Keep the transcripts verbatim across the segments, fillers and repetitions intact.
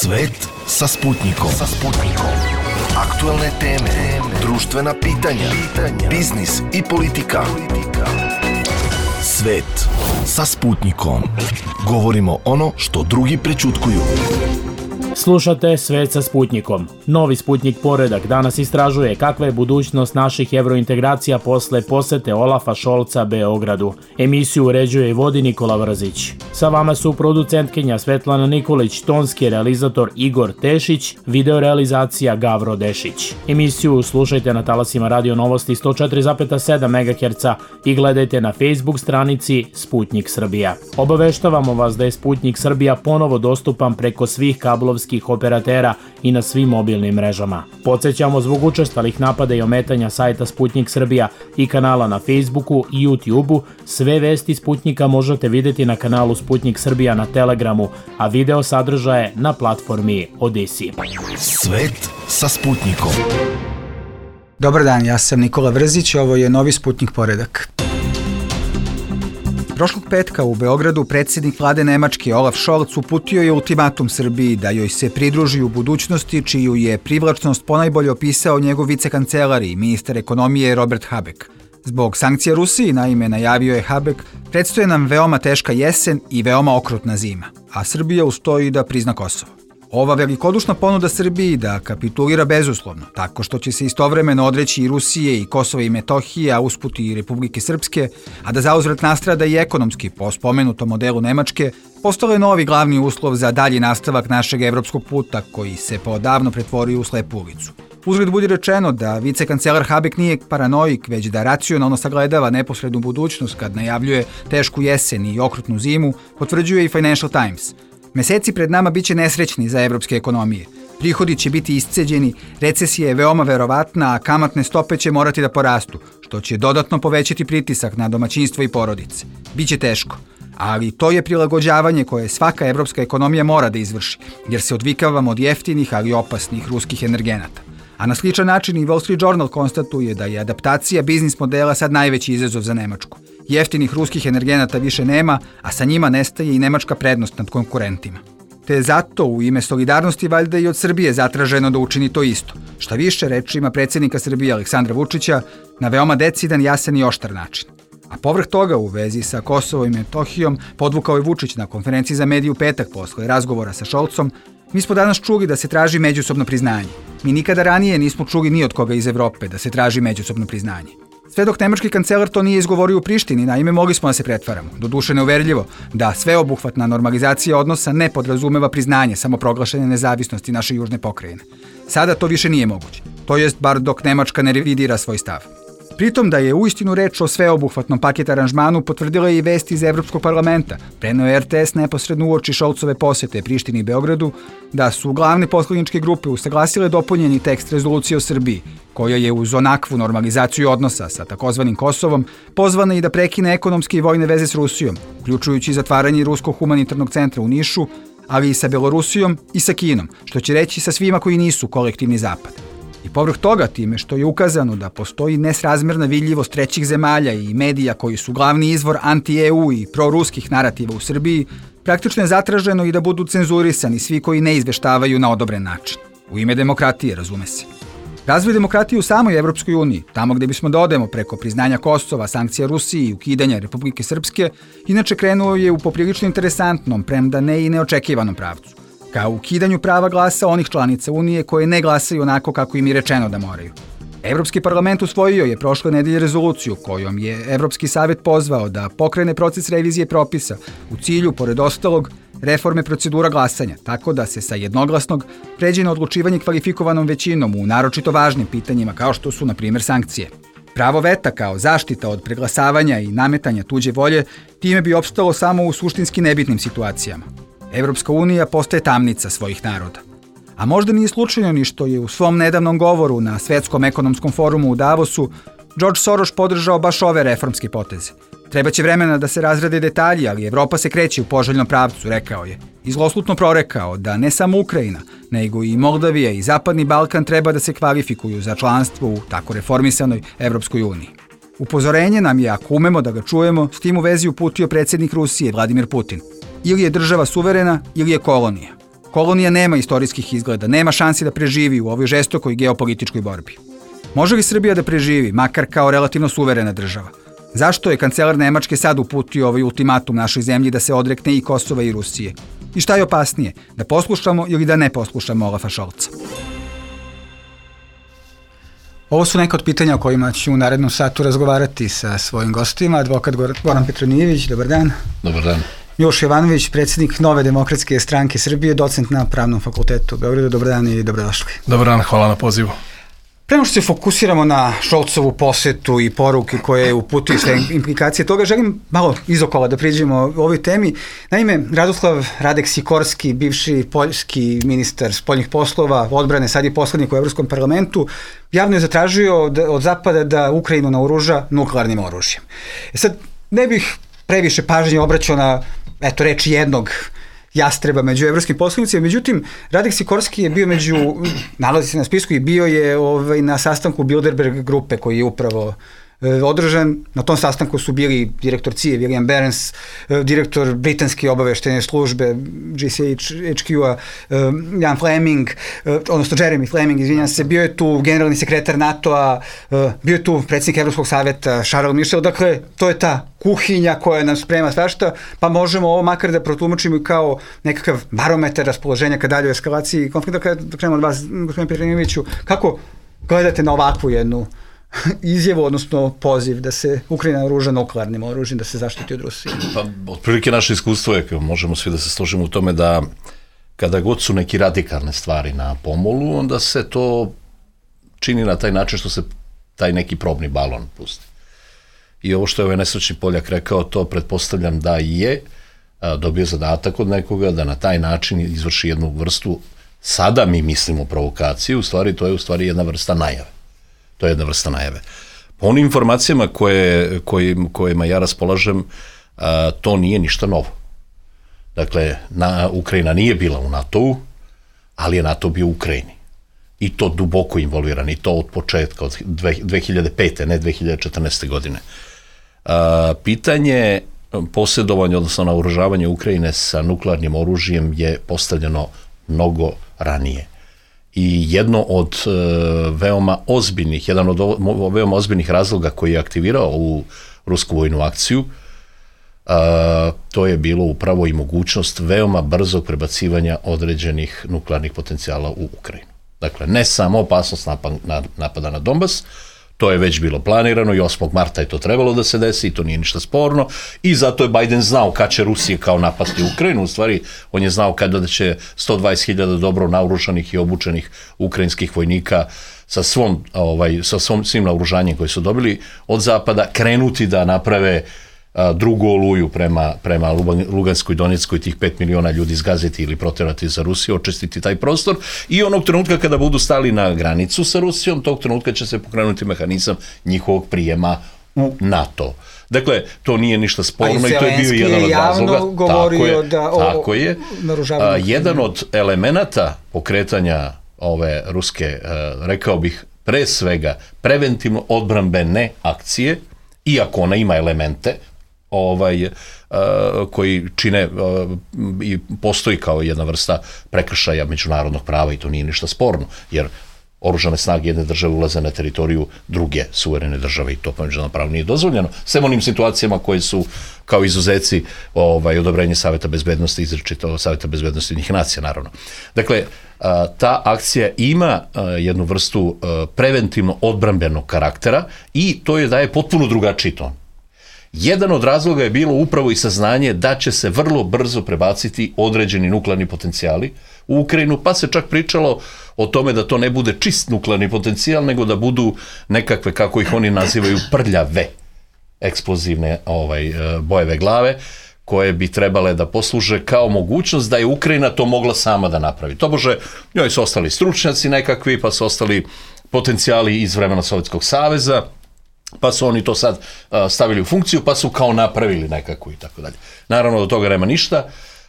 Svet sa Sputnikom. Sa Sputnikom. Aktuelne teme, društvena pitanja, biznis i politika. Svet sa Sputnikom. Govorimo ono što drugi prećutkuju. Slušate Svet sa Sputnikom. Novi Sputnik poredak danas istražuje kakva je budućnost naših evrointegracija posle posete Olafa Šolca Beogradu. Emisiju uređuje i vodi Nikola Vrzić. Sa vama su producentkinja Svetlana Nikolić, tonski realizator Igor Tešić, videorealizacija Gavro Dešić. Emisiju slušajte na talasima Radio Novosti sto četiri zarez sedam megaherca i gledajte na Facebook stranici Sputnik Srbija. Obaveštavamo vas da je Sputnik Srbija ponovo dostupan preko svih kablovskih operatera i na svim mobilnim mrežama. Podsećamo zbog učestalih napada i ometanja sajta Sputnik Srbija i kanala na Facebooku i YouTubeu, sve vesti Sputnika možete vidjeti na kanalu Sputnik Srbija na Telegramu, a video sadržaje na platformi Odisi. Svet sa Sputnikom. Dobar dan, ja sam Nikola Vrzić, ovo je novi Sputnik poredak. Prošlog petka u Beogradu predsjednik vlade Nemačke Olaf Scholz uputio je ultimatum Srbiji da joj se pridruži u budućnosti, čiju je privlačnost ponajbolje opisao njegov vicekancelar i ministar ekonomije Robert Habeck. Zbog sankcija Rusiji, naime, najavio je Habeck, predstoje nam veoma teška jesen i veoma okrutna zima, a Srbija ustoji da prizna Kosovo. Ova velikodušna ponuda Srbiji da kapitulira bezuslovno, tako što će se istovremeno odreći i Rusije i Kosova i Metohije, a usput i Republike Srpske, a da zauzvrat nastrada i ekonomski po spomenutom modelu Nemačke, postalo je novi glavni uslov za dalji nastavak našeg evropskog puta koji se poodavno pretvorio u slepu ulicu. Uzgled budi rečeno da vicekancelar Habeck nije paranoik, već da racionalno sagledava neposrednu budućnost kad najavljuje tešku jesen i okrutnu zimu, potvrđuje i Financial Times. Meseci pred nama biće nesrećni za evropske ekonomije. Prihodi će biti isceđeni, recesija je veoma verovatna, a kamatne stope će morati da porastu, što će dodatno povećati pritisak na domaćinstvo i porodice. Biće teško, ali to je prilagođavanje koje svaka evropska ekonomija mora da izvrši, jer se odvikavamo od jeftinih, ali opasnih ruskih energenata. A na sličan način i Wall Street Journal konstatuje da je adaptacija biznis modela sad najveći izazov za Nemačku. Jeftinih ruskih energenata više nema, a sa njima nestaje i nemačka prednost nad konkurentima. Te je zato u ime solidarnosti valjda i od Srbije zatraženo da učini to isto. Šta više, rečima predsjednika Srbije Aleksandra Vučića, na veoma decidan, jasan i oštar način. A povrh toga u vezi sa Kosovom i Metohijom podvukao je Vučić na konferenciji za medije u petak posle razgovora sa Šolcom. Mi smo danas čuli da se traži međusobno priznanje. Mi nikada ranije nismo čuli ni od koga iz Evrope da se traži međusobno priznanje. Sve dok nemački kancelar to nije izgovorio u Prištini, naime mogli smo da se pretvaramo. Doduše neuverljivo da sveobuhvatna normalizacija odnosa ne podrazumeva priznanje samoproglašene nezavisnosti naše južne pokrajine. Sada to više nije moguće, to jest bar dok Nemačka ne revidira svoj stav. Pritom da je uistinu reč o sveobuhvatnom paket aranžmanu potvrdila je i vest iz Evropskog parlamenta. Preneo je er te es neposredno uoči Šolcove posete Prištini i Beogradu da su glavne poslaničke grupe usaglasile dopunjeni tekst rezolucije o Srbiji, koja je uz onakvu normalizaciju odnosa sa takozvanim Kosovom pozvana i da prekine ekonomske i vojne veze s Rusijom, uključujući zatvaranje Ruskog humanitarnog centra u Nišu, ali i sa Belorusijom i sa Kinom, što će reći sa svima koji nisu kolektivni zapad. I povrh toga, time što je ukazano da postoji nesrazmerna vidljivost trećih zemalja i medija koji su glavni izvor anti-e u i proruskih narativa u Srbiji, praktično je zatraženo i da budu cenzurisani svi koji ne izveštavaju na odobren način. U ime demokratije, razume se. Razvoj demokratije u samoj Evropskoj uniji, tamo gde bismo da odemo preko priznanja Kosova, sankcija Rusiji i ukidanja Republike Srpske, inače krenuo je u poprilično interesantnom, premda ne i neočekivanom pravcu. Kao ukidanju prava glasa onih članica Unije koje ne glasaju onako kako im je rečeno da moraju. Evropski parlament usvojio je prošle nedelje rezoluciju kojom je Evropski savjet pozvao da pokrene proces revizije propisa u cilju, pored ostalog, reforme procedura glasanja, tako da se sa jednoglasnog pređe na odlučivanje kvalifikovanom većinom u naročito važnim pitanjima kao što su, na primjer, sankcije. Pravo veta kao zaštita od preglasavanja i nametanja tuđe volje time bi opstalo samo u suštinski nebitnim situacijama. Evropska unija postaje tamnica svojih naroda. A možda nije slučajno ni što je u svom nedavnom govoru na Svetskom ekonomskom forumu u Davosu George Soros podržao baš ove reformske poteze. Trebaće vremena da se razrade detalji, ali Evropa se kreće u poželjnom pravcu, rekao je. I zloslutno prorekao da ne samo Ukrajina, nego i Moldavija i Zapadni Balkan treba da se kvalifikuju za članstvo u tako reformisanoj Evropskoj uniji. Upozorenje nam je, ako umemo da ga čujemo, s tim u vezi uputio predsjednik Rusije Vladimir Putin. Ili je država suverena, ili je kolonija. kolonija nema istorijskih izgleda, nema šansi da preživi u ovoj žestokoj geopolitičkoj borbi. Može li Srbija da preživi, makar kao relativno suverena država? Zašto je kancelar Nemačke sad uputio ovaj ultimatum našoj zemlji da se odrekne i Kosova i Rusije? I šta je opasnije, da poslušamo ili da ne poslušamo Olafa Scholza? Ovo su neka od pitanja o kojima ću u narednom satu razgovarati sa svojim gostima. Advokat Goran Petronijević, dobar dan. Dobar dan. Miloš Jovanović, predsjednik Nove demokratske stranke Srbije, docent na Pravnom fakultetu u Beogradu. Dobar dan i dobrodošli. Dobar dan, hvala na pozivu. Prema što se fokusiramo na Scholzovu posetu i poruke koje uputio sve implikacije toga, želim malo izokola da priđemo o ovoj temi. Naime, Radoslav Radek Sikorski, bivši poljski ministar spoljnih poslova, odbrane, sad je poslanik u Evropskom parlamentu, javno je zatražio od, od Zapada da Ukrajinu naoruža nuklearnim oružjem. E sad, ne bih previše pažnje obraćao na, eto, reči jednog jastreba među evropskim poslanicima, međutim, Radek Sikorski je bio među, nalazi se na spisku i bio je ovaj, na sastanku Bilderberg grupe koji je upravo e, održan. Na tom sastanku su bili direktor C I A William Burns, e, direktor britanske obaveštene službe G C H Q-a e, Jan Fleming, e, odnosno Jeremy Fleming, izvinjam se, bio je tu generalni sekretar NATO-a, e, bio je tu predsjednik Evropskog savjeta Charles Michel, dakle, to je ta kuhinja koja nam sprema svašta, pa možemo ovo makar da protumačimo kao nekakav barometar raspoloženja ka daljoj eskalaciji konflikta. Kada krenemo od vas, gospodine Petronijeviću, kako gledate na ovakvu jednu izjavu, odnosno poziv da se Ukrajina naoruža nuklearnim oružjem, da se zaštiti od Rusije? Pa, otprilike naše iskustvo je, možemo svi da se složimo u tome da kada god su neki radikalne stvari na pomolu, onda se to čini na taj način što se taj neki probni balon pusti. I ovo što je ovaj nesrećni Poljak rekao, to pretpostavljam da je a, dobio zadatak od nekoga da na taj način izvrši jednu vrstu, sada mi mislimo provokaciju, u stvari to je u stvari jedna vrsta najave. To je jedna vrsta najave. Po onim informacijama koje, kojim, kojima ja raspolažem, a, to nije ništa novo. Dakle, na, Ukrajina nije bila u NATO-u, ali je NATO bio u Ukrajini. I to duboko involviran, i to od početka, od dve hiljade pete, ne dve hiljade četrnaeste. godine. A, pitanje posjedovanja, odnosno naoružavanja Ukrajine sa nuklearnim oružjem je postavljeno mnogo ranije. I jedno od e, veoma ozbiljnih, jedan od o, veoma ozbiljnih razloga koji je aktivirao u rusku vojnu akciju, a, to je bilo upravo i mogućnost veoma brzog prebacivanja određenih nuklearnih potencijala u Ukrajinu. Dakle, ne samo opasnost napada na Donbas, to je već bilo planirano i osmog marta je to trebalo da se desi i to nije ništa sporno i zato je Biden znao kad će Rusija kao napasti Ukrajinu, u stvari on je znao kada da će sto dvadeset hiljada dobro naoružanih i obučenih ukrajinskih vojnika sa svom, ovaj, sa svom svim naoružanjem koje su dobili od Zapada krenuti da naprave drugu oluju prema, prema Luganskoj i Donjeckoj, tih pet miliona ljudi izgaziti ili proterati za Rusiju, očistiti taj prostor i onog trenutka kada budu stali na granicu sa Rusijom, tog trenutka će se pokrenuti mehanizam njihovog prijema u NATO. Dakle, to nije ništa sporno i, i to je bio jedan od razloga. Tako je, da, o, tako je. A, jedan od elemenata pokretanja ove ruske, rekao bih, pre svega preventivno odbrambene akcije, iako ona ima elemente ovaj, uh, koji čine uh, i postoji kao jedna vrsta prekršaja međunarodnog prava i to nije ništa sporno, jer oružane snage jedne države ulaze na teritoriju druge suverene države i to po međunarodnom pravu nije dozvoljeno, sem onim situacijama koje su kao izuzeci ovaj, odobrenje Saveta bezbednosti, izričito Saveta bezbednosti Ujedinjenih nacija, naravno. Dakle, uh, ta akcija ima uh, jednu vrstu uh, preventivno odbrambenog karaktera i to je daje potpuno drugačiji ton. Jedan od razloga je bilo upravo i saznanje da će se vrlo brzo prebaciti određeni nuklearni potencijali u Ukrajinu, pa se čak pričalo o tome da to ne bude čist nuklearni potencijal, nego da budu nekakve, kako ih oni nazivaju, prljave eksplozivne ovaj, bojeve glave, koje bi trebale da posluže kao mogućnost da je Ukrajina to mogla sama da napravi. Tobože, njoj su ostali stručnjaci nekakvi, pa su ostali potencijali iz vremena Sovjetskog saveza, pa su oni to sad uh, stavili u funkciju, pa su kao napravili nekako i tako dalje. Naravno, do toga nema ništa,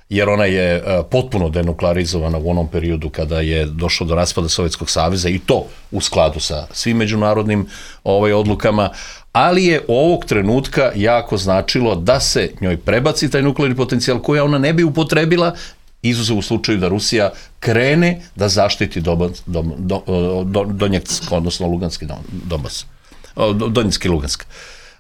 jer ona je uh, potpuno denuklearizovana u onom periodu kada je došlo do raspada Sovjetskog saveza i to u skladu sa svim međunarodnim ovaj, odlukama, ali je ovog trenutka jako značilo da se njoj prebaci taj nuklearni potencijal koji ona ne bi upotrebila izuzev u slučaju da Rusija krene da zaštiti Donbass, Don, Don, Don, Donjecki, odnosno Luganski Donbass, Donjecki Lugansk.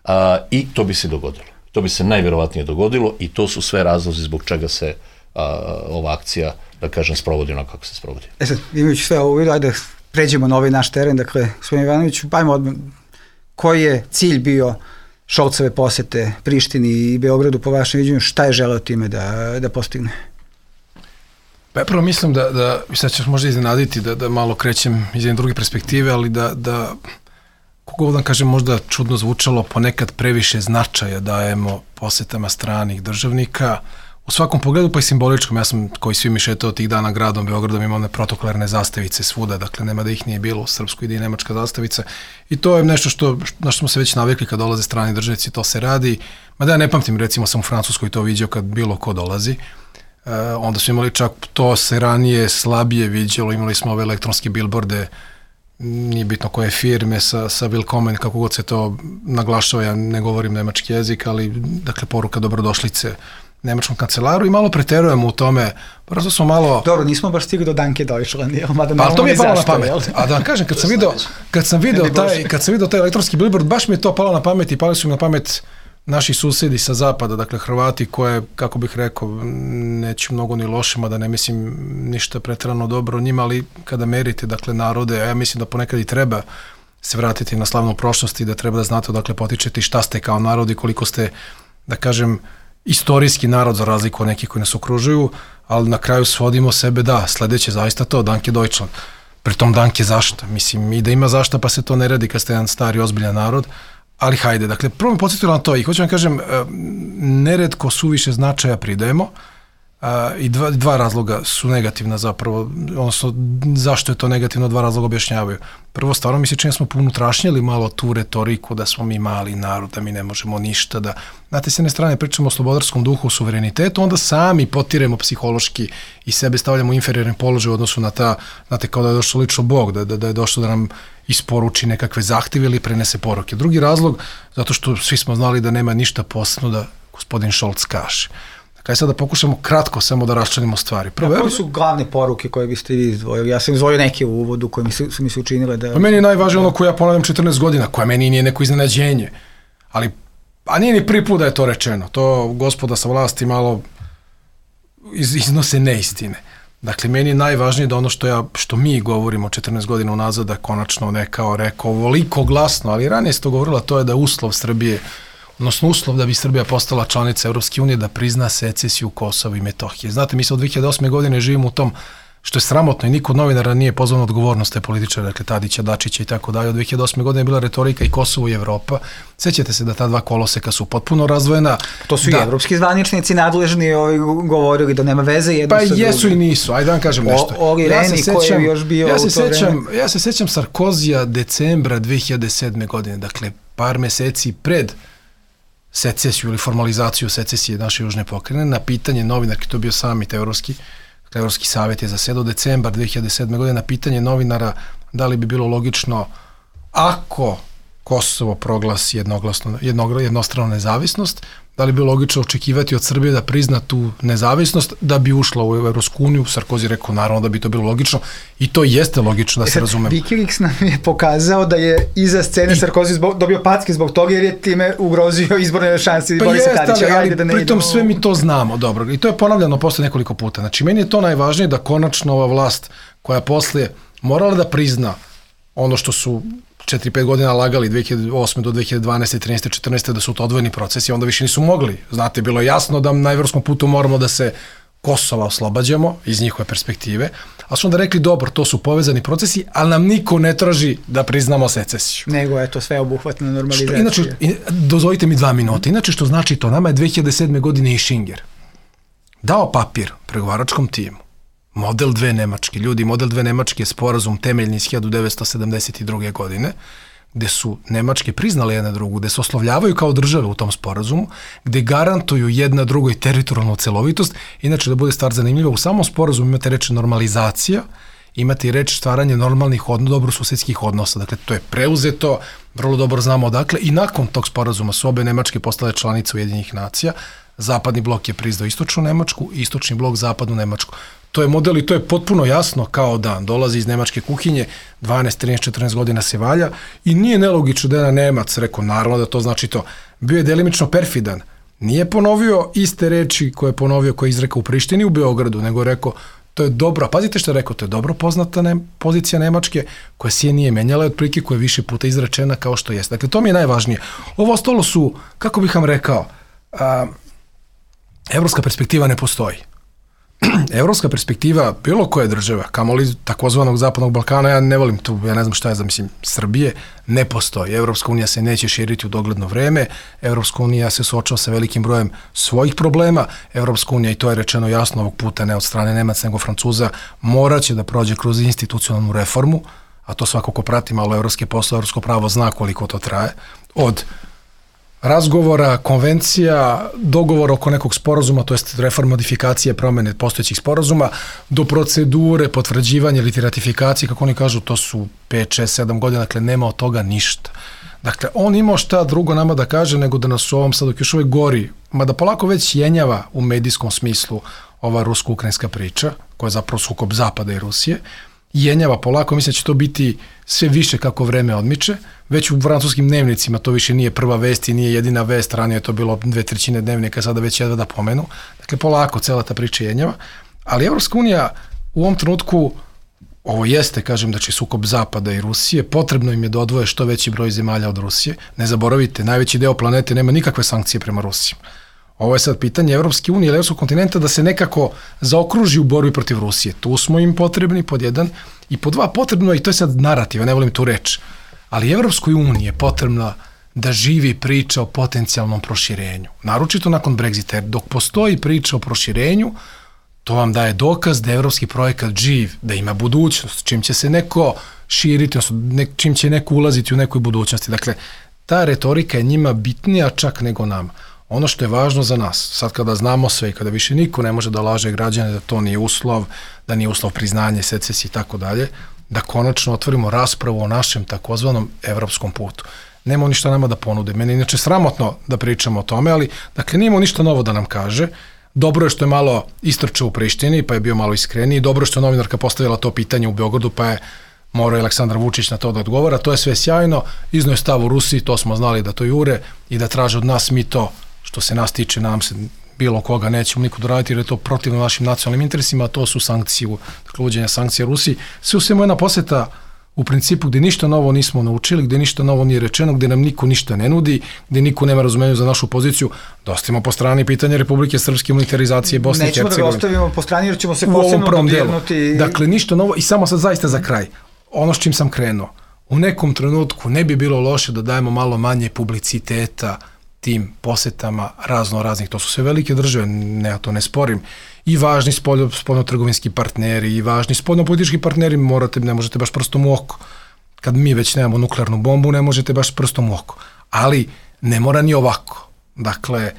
A, I to bi se dogodilo. To bi se najvjerovatnije dogodilo i to su sve razlozi zbog čega se a, ova akcija, da kažem, sprovodi onako kako se sprovodi. E sad, imajući sve ovo vidio, ajde pređemo na ovaj naš teren, dakle, gospodin Ivanović, ajmo odmah, koji je cilj bio Šolcove posete Prištini i Beogradu po vašem viđenju, šta je želeo time da, da postigne? Pa prvo mislim da, da sad ćeš možda iznenaditi da, da malo krećem iz jedne druge perspektive, ali da, da kako da kažem, možda čudno zvučalo, ponekad previše značaja dajemo posetama stranih državnika, u svakom pogledu pa i simboličkom. Ja sam, koji svi mi šetao tih dana gradom Beogradom, imao one protokolarne zastavice svuda, dakle nema da ih nije bilo, u Srpskoj ide i nemačka zastavica i to je nešto što, na što smo se već navikli kad dolaze strani državnici, to se radi, mada ja ne pamtim, recimo sam u Francuskoj to vidio kad bilo ko dolazi. Uh, onda smo imali čak, to se ranije slabije viđalo, imali smo ove elektronske billboarde, nije bitno koje firme, sa, sa Willkommen, kako god se to naglašava, ja ne govorim nemački jezik, ali dakle poruka dobrodošlice nemačkom kancelaru i malo preterujemo u tome, prosto smo malo... Dobro, nismo baš stigli do Danke Deutschland, jel? Mada pa to mi je palo na pamet, a da vam kažem, kad sam video, kad sam video taj, kad sam video taj elektronski billboard, baš mi je to palo na pamet i pali su mi na pamet naši susedi sa zapada, dakle Hrvati koje, kako bih rekao, neću mnogo ni lošima, da ne mislim ništa preterano dobro o njima, ali kada merite, dakle, narode, a ja mislim da ponekad i treba se vratiti na slavnu prošlost i da treba da znate odakle potičete i šta ste kao narod i koliko ste, da kažem, istorijski narod za razliku od nekih koji nas okružuju, ali na kraju svodimo sebe, da, sledeće zaista to, Danke Deutschland. Pritom Danke zašta, mislim, i da ima zašta pa se to ne radi kad ste jedan stari, ozbiljan narod, ali hajde, dakle, prvo mi podsjetilo na to i hoću vam kažem, neretko suviše značaja pridajemo a, i dva, dva razloga su negativna zapravo, odnosno zašto je to negativno, dva razloga objašnjavaju. Prvo, stvarno mi se čini smo pounutrašnjeli malo tu retoriku da smo mi mali narod, da mi ne možemo ništa, da, znate, s jedne strane pričamo o slobodarskom duhu, o suverenitetu, onda sami potiremo psihološki i sebe stavljamo u inferiorni položaj u odnosu na ta, znate, kao da je došao lično Bog, da, da, da je došao da nam isporuči nekakve zahtjeve ili prenese poruke. Drugi razlog, zato što svi smo znali da nema ništa posebno da gospodin Scholz kaže. Dakle, sad da pokušamo kratko samo da raščlanimo stvari. Prvo, a koje su glavne poruke koje biste vi izdvojili? Ja sam izdvojio neke u uvodu koje mi su, su mi se učinile da... Pa meni je najvažnije ono koje ja ponavljam četrnaest godina, koje meni nije neko iznenađenje. Ali, a nije ni prvi put da je to rečeno. To gospoda sa vlasti malo iz, iznose neistine. Dakle, meni je najvažnije da ono što ja, što mi govorimo četrnaest godina unazad, da konačno ne kao rekao ovoliko glasno, ali ranije se to govorila, to je da je uslov Srbije, odnosno uslov da bi Srbija postala članica Evropske unije, da prizna secesiju Kosova i Metohije. Znate, mi se od dve hiljade osme godine živimo u tom, što je sramotno i niko od novinara nije pozvan odgovornost te političara, dakle Tadića, Dačića i tako dalje. Od dve hiljade osme godine je bila retorika i Kosovo i Evropa. Sećate se da ta dva koloseka su potpuno razdvojena. To su da, i evropski zvaničnici nadležni ovi govorili da nema veze jedno pa sa drugim. Pa jesu i nisu, ajde da vam kažem nešto. O, Oli ja Reni se koji sećam, je još bio ja se u to sećam, vreme. ja se sećam Sarkozija decembra dve hiljade sedme godine, dakle par meseci pred secesiju ili formalizaciju secesije naše južne pokrajine, na pitanje novinarki, to je bio samit evropski, dakle Evropski savjet je zasedao decembar dve hiljade sedme godine, na pitanje novinara da li bi bilo logično ako Kosovo proglasi jednoglasno, jednog, jednostranu nezavisnost, da li bi bilo logično očekivati od Srbije da prizna tu nezavisnost da bi ušla u Evropsku uniju. Sarkozy rekao naravno da bi to bilo logično i to jeste logično, da se razumemo. Wikileaks nam je pokazao da je iza scene I... Sarkozy zbog, dobio packe zbog toga jer je time ugrozio izborne šanse pa Borisa jest, Tadića. Ali, ali da ne pritom idemo... sve mi to znamo, dobro. I to je ponavljano posle nekoliko puta. Znači, meni je to najvažnije da konačno ova vlast koja poslije morala da prizna ono što su četiri pet godina lagali dve hiljade osme do dve hiljade dvanaeste, trinaeste, četrnaeste da su to odvojeni procesi, onda više nisu mogli. Znate, bilo je jasno da na evropskom putu moramo da se Kosova oslobađamo iz njihove perspektive, a su onda rekli dobro, to su povezani procesi, ali nam niko ne traži da priznamo secesiju. Nego je to sve obuhvatna normalizacija. Inače, dozvolite mi dva minuta, inače što znači to, nama je dve hiljade sedme godine i Šinger dao papir pregovaračkom timu, model dve Nemačke, ljudi, model dve Nemačke je sporazum temeljni iz hiljade devetsto sedamdeset druge godine, gde su Nemačke priznale jedna drugu, gde se oslovljavaju kao države u tom sporazumu, gde garantuju jedna drugoj teritorijalnu celovitost. Inače, da bude stvar zanimljiva, u samom sporazumu imate reč normalizacija, imate i reč stvaranje normalnih, odno, dobrosusedskih odnosa. Dakle, to je preuzeto, vrlo dobro znamo odakle, i nakon tog sporazuma su obe Nemačke postale članice Ujedinjenih nacija. Zapadni blok je priznao istočnu Nemačku, istočni blok zapadnu Nemačku. To je model i to je potpuno jasno kao dan. Dolazi iz nemačke kuhinje, dvanaest, trinaest, četrnaest godina se valja i nije nelogično da je jedan Nemac rekao, naravno da to znači to. Bio je delimično perfidan. Nije ponovio iste reči koje je ponovio, koje je izrekao u Prištini u Beogradu, nego je rekao, to je dobro, pazite što je rekao, to je dobro poznata ne, pozicija Nemačke, koja se nije menjala od prilike, koja je više puta izrečena kao što jeste. Dakle, to mi je najvažnije. Ovo ostalo su, kako bih vam rekao, a, evropska perspektiva ne postoji. Evropska perspektiva bilo koje države, kamoli takozvanog zapadnog Balkana, ja ne volim tu, ja ne znam šta je za, mislim, Srbije, ne postoji. Evropska unija se neće širiti u dogledno vreme, Evropska unija se suočava sa velikim brojem svojih problema, Evropska unija, i to je rečeno jasno ovog puta, ne od strane Nemaca nego Francuza, moraće da prođe kroz institucionalnu reformu, a to svako ko prati malo evropske poslove, evropsko pravo zna koliko to traje, od razgovora, konvencija, dogovora oko nekog sporazuma, to jest reforma, modifikacije, promene postojećih sporazuma, do procedure, potvrđivanja ili ratifikacije, kako oni kažu, to su pet, šest, sedam godina, dakle nema od toga ništa. Dakle, on imao šta drugo nama da kaže nego da nas u ovom sad dok još uvijek gori, mada polako već jenjava u medijskom smislu ova rusko-ukrajinska priča, koja je zapravo sukob Zapada i Rusije, jenjava polako, mislim da će to biti sve više kako vreme odmiče, već u francuskim dnevnicima to više nije prva vest i nije jedina vest, ranije je to bilo dve trećine dnevnika, sada već jedva da pomenu, dakle polako cela ta priča jenjava, ali Evropska unija u ovom trenutku, ovo jeste, kažem, da će sukob Zapada i Rusije, potrebno im je da odvoje što veći broj zemalja od Rusije, ne zaboravite, najveći deo planete nema nikakve sankcije prema Rusiji. Ovo je sad pitanje Evropske unije ili Evropskog kontinenta da se nekako zaokruži u borbi protiv Rusije. Tu smo im potrebni, pod jedan, i pod dva potrebno, i to je sad narativa, ne volim tu reč, ali Evropskoj uniji je potrebna da živi priča o potencijalnom proširenju. Naročito nakon Brexita, jer dok postoji priča o proširenju, to vam daje dokaz da je evropski projekat živ, da ima budućnost, čim će se neko širiti, odnosno čim će neko ulaziti u nekoj budućnosti. Dakle, ta retorika je njima bitnija čak nego nama. Ono što je važno za nas, sad kada znamo sve i kada više niko ne može da laže građane da to nije uslov, da nije uslov priznanje, secesije i tako dalje, da konačno otvorimo raspravu o našem takozvanom evropskom putu. Nema ništa nama da ponude. Meni je inače sramotno da pričamo o tome, ali dakle nije ništa novo da nam kaže. Dobro je što je malo istrčao u Prištini, pa je bio malo iskreniji. Dobro je što je novinarka postavila to pitanje u Beogradu, pa je morao Aleksandar Vučić na to da odgovara. To je sve sjajno. Iznio je stav u Rusiji, to smo znali da to jure i da traže od nas, mi to, što se nas tiče, nam se bilo koga nećemo niko doraditi jer je to protivno našim nacionalnim interesima, a to su sankcije, dakle uvođenja sankcija Rusiji. Sve u svemu jedna poseta u principu gdje ništa novo nismo naučili, gdje ništa novo nije rečeno, gdje nam niko ništa ne nudi, gdje niko nema razumenja za našu poziciju, da ostavimo po strani pitanje Republike Srpske, unitarizacije Bosne i Hercegovine. Nećemo da ga ostavimo po strani jer ćemo se posebno dodirnuti. Dakle, ništa novo i samo sad zaista za kraj. Ono s čim sam krenuo. U nekom trenutku ne bi bilo loše da dajemo malo manje publiciteta tim posetama razno raznih. To su sve velike države, ne, ja to ne sporim. I važni spoljno, spoljno-trgovinski partneri, i važni spoljno-politički partneri, morate, ne možete baš prstom u oko. Kad mi već nemamo nuklearnu bombu, ne možete baš prstom u oko. Ali ne mora ni ovako. Dakle,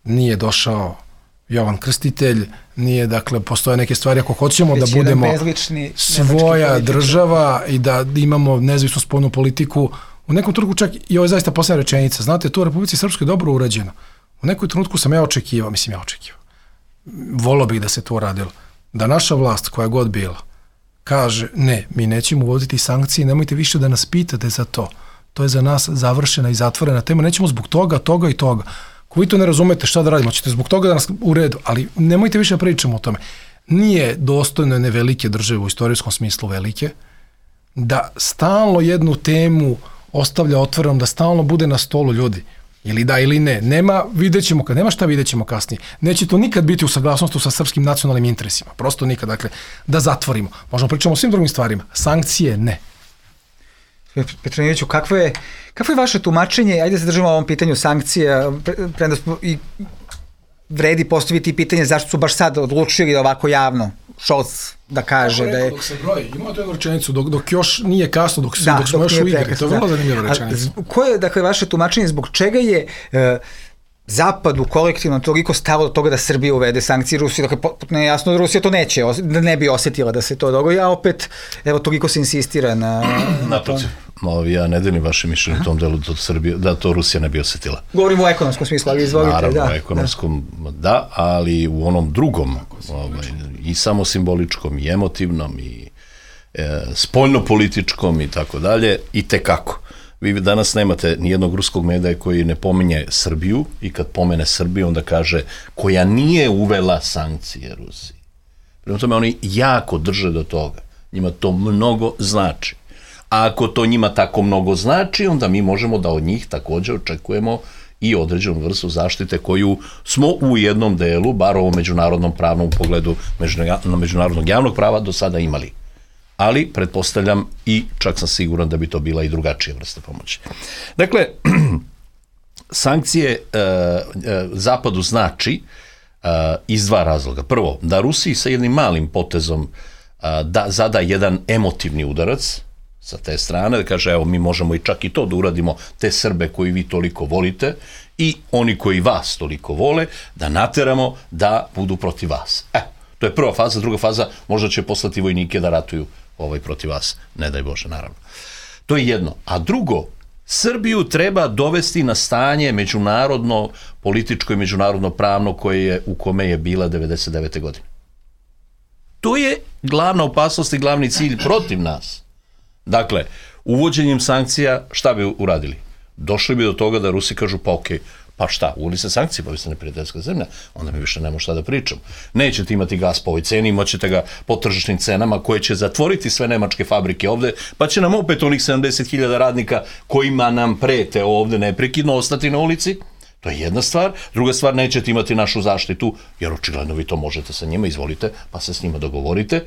nije došao Jovan Krstitelj, nije, dakle, postoje neke stvari ako hoćemo već da budemo svoja država i da imamo nezavisnu spoljnu politiku. U nekom trenutku čak, i ovo je zaista posljedna rečenica, znate, to u Republici Srpskoj dobro urađeno. U nekom trenutku sam ja očekivao, mislim ja očekivao, volio bih da se to uradilo, da naša vlast, koja god bila, kaže, ne, mi nećemo uvoditi sankcije, nemojte više da nas pitate za to. To je za nas završena i zatvorena tema, nećemo zbog toga, toga i toga. Ako vi to ne razumete šta da radimo, ćete zbog toga da nas u redu, ali nemojte više pričamo o tome. Nije dostojno ne velike države u istorijskom smislu velike, da stalno jednu temu ostavlja otvorenom, da stalno bude na stolu ljudi. Ili da ili ne. Nema, vidjet ćemo, nema šta vidjet ćemo kasnije. Neće to nikad biti u saglasnosti sa srpskim nacionalnim interesima. Prosto nikad. Dakle, da zatvorimo. Možemo pričamo o svim drugim stvarima. Sankcije ne. Petronijeviću, kakvo je, kakvo je vaše tumačenje? Ajde se držimo o ovom pitanju sankcija. Premda smo i vredi postaviti pitanje zašto su baš sad odlučili ovako javno Scholz da kaže da je... Dok se broji, ima to jednu rečenicu, dok, dok još nije kasno, dok, da, dok smo dok još u igri, to je vrlo zanimljiva rečenica. Koje je, dakle, vaše tumačenje, zbog čega je uh, Zapadu kolektivno toliko stalo od toga da Srbija uvede sankcije Rusiji, dakle potpuno je jasno da Rusija to neće, da ne bi osjetila da se to dogodi, a opet, evo, toliko se insistira na... Naprotiv, ja ne delim vaše mišljenje u tom delu da, Srbija, da to Rusija ne bi osjetila. Govorimo o ekonomskom smislu, ali izvolite. Naravno, da, o ekonomskom, da. da, ali u onom drugom, ovaj, i samo simboličkom, i emotivnom, i e, spoljnopolitičkom, i tako dalje, i tekako. Vi danas nemate nijednog ruskog medija koji ne pominje Srbiju i kad pomene Srbiju onda kaže koja nije uvela sankcije Rusiji. Prema tome oni jako drže do toga. Njima to mnogo znači. A ako to njima tako mnogo znači, onda mi možemo da od njih također očekujemo i određenu vrstu zaštite koju smo u jednom delu, bar u međunarodnom pravnom pogledu međunarodnog javnog prava, do sada imali. Ali, pretpostavljam i čak sam siguran da bi to bila i drugačija vrsta pomoći. Dakle, sankcije e, e, Zapadu znači e, iz dva razloga. Prvo, da Rusiji sa jednim malim potezom e, da zada jedan emotivni udarac sa te strane, da kaže, evo, mi možemo i čak i to da uradimo, te Srbe koji vi toliko volite i oni koji vas toliko vole, da nateramo da budu protiv vas. E, to je prva faza. Druga faza, možda će poslati vojnike da ratuju ovaj protiv vas, ne daj Bože, naravno. To je jedno. A drugo, Srbiju treba dovesti na stanje međunarodno, političko i međunarodno pravno koje je, u kome je bila devedeset devete godine. To je glavna opasnost i glavni cilj protiv nas. Dakle, uvođenjem sankcija šta bi uradili? Došli bi do toga da Rusi kažu, pa okej, pa šta, uveli se sankcije, pa vi ste neprijateljska zemlja, onda mi više nema šta da pričam. Nećete imati gas po ovoj ceni, imaćete ga po tržišnim cenama koje će zatvoriti sve nemačke fabrike ovde, pa će nam opet onih sedamdeset hiljada radnika kojima nam prete ovde neprekidno ostati na ulici. To je jedna stvar. Druga stvar, nećete imati našu zaštitu, jer očigledno vi to možete sa njima, izvolite, pa se s njima dogovorite.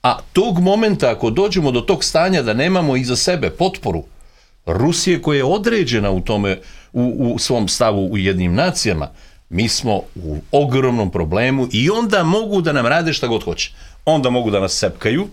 A tog momenta, ako dođemo do tog stanja da nemamo iza sebe potporu Rusije koja je određena u tome, u, u svom stavu u jednim nacijama, mi smo u ogromnom problemu i onda mogu da nam rade šta god hoće. Onda mogu da nas sepkaju,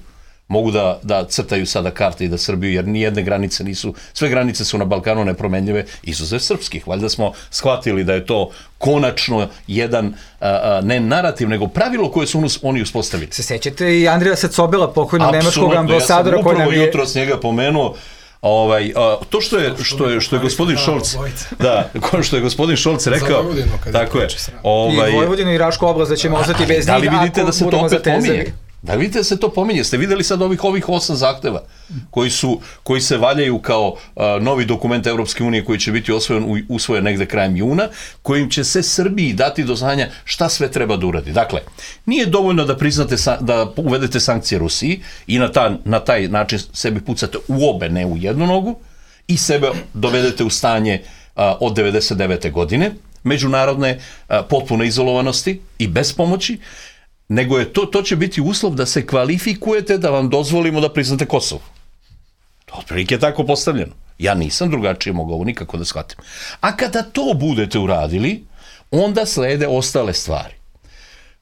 mogu da, da crtaju sada karte i da Srbiju, jer nijedne granice nisu, sve granice su na Balkanu nepromenljive, izuzev srpskih. Valjda smo shvatili da je to konačno jedan, a, a, ne narativ, nego pravilo koje su oni uspostavili. Se sećate i Andrija Sacobela, pokojnog nemačkog ambasadora, koji nam je... Upravo jutro s njega pomenuo. Ovaj, a, to što je što je što je gospodin Šolc, da, što je gospodin Šolc rekao, tako je. Ovaj, i Vojvodinu i Rašku oblast da ćemo ostati bez njih. Da li vidite da se to opet pominje? Da vidite da se to pominje? Ste videli sad ovih ovih osam zahteva koji su koji se valjaju kao a, novi dokument Evropske unije koji će biti usvojen usvojen negde krajem juna, kojim će se Srbiji dati do znanja šta sve treba da uradi. Dakle, nije dovoljno da priznate da uvedete sankcije Rusiji i na ta, na taj način sebi pucate u obe, ne u jednu nogu, i sebe dovedete u stanje a, od devedeset devete godine međunarodne a, potpune izolovanosti i bez pomoći, nego je to, to će biti uslov da se kvalifikujete da vam dozvolimo da priznate Kosovo. To otprilike je tako postavljeno. Ja nisam drugačije mogao ovo nikako da shvatim. A kada to budete uradili, onda slede ostale stvari.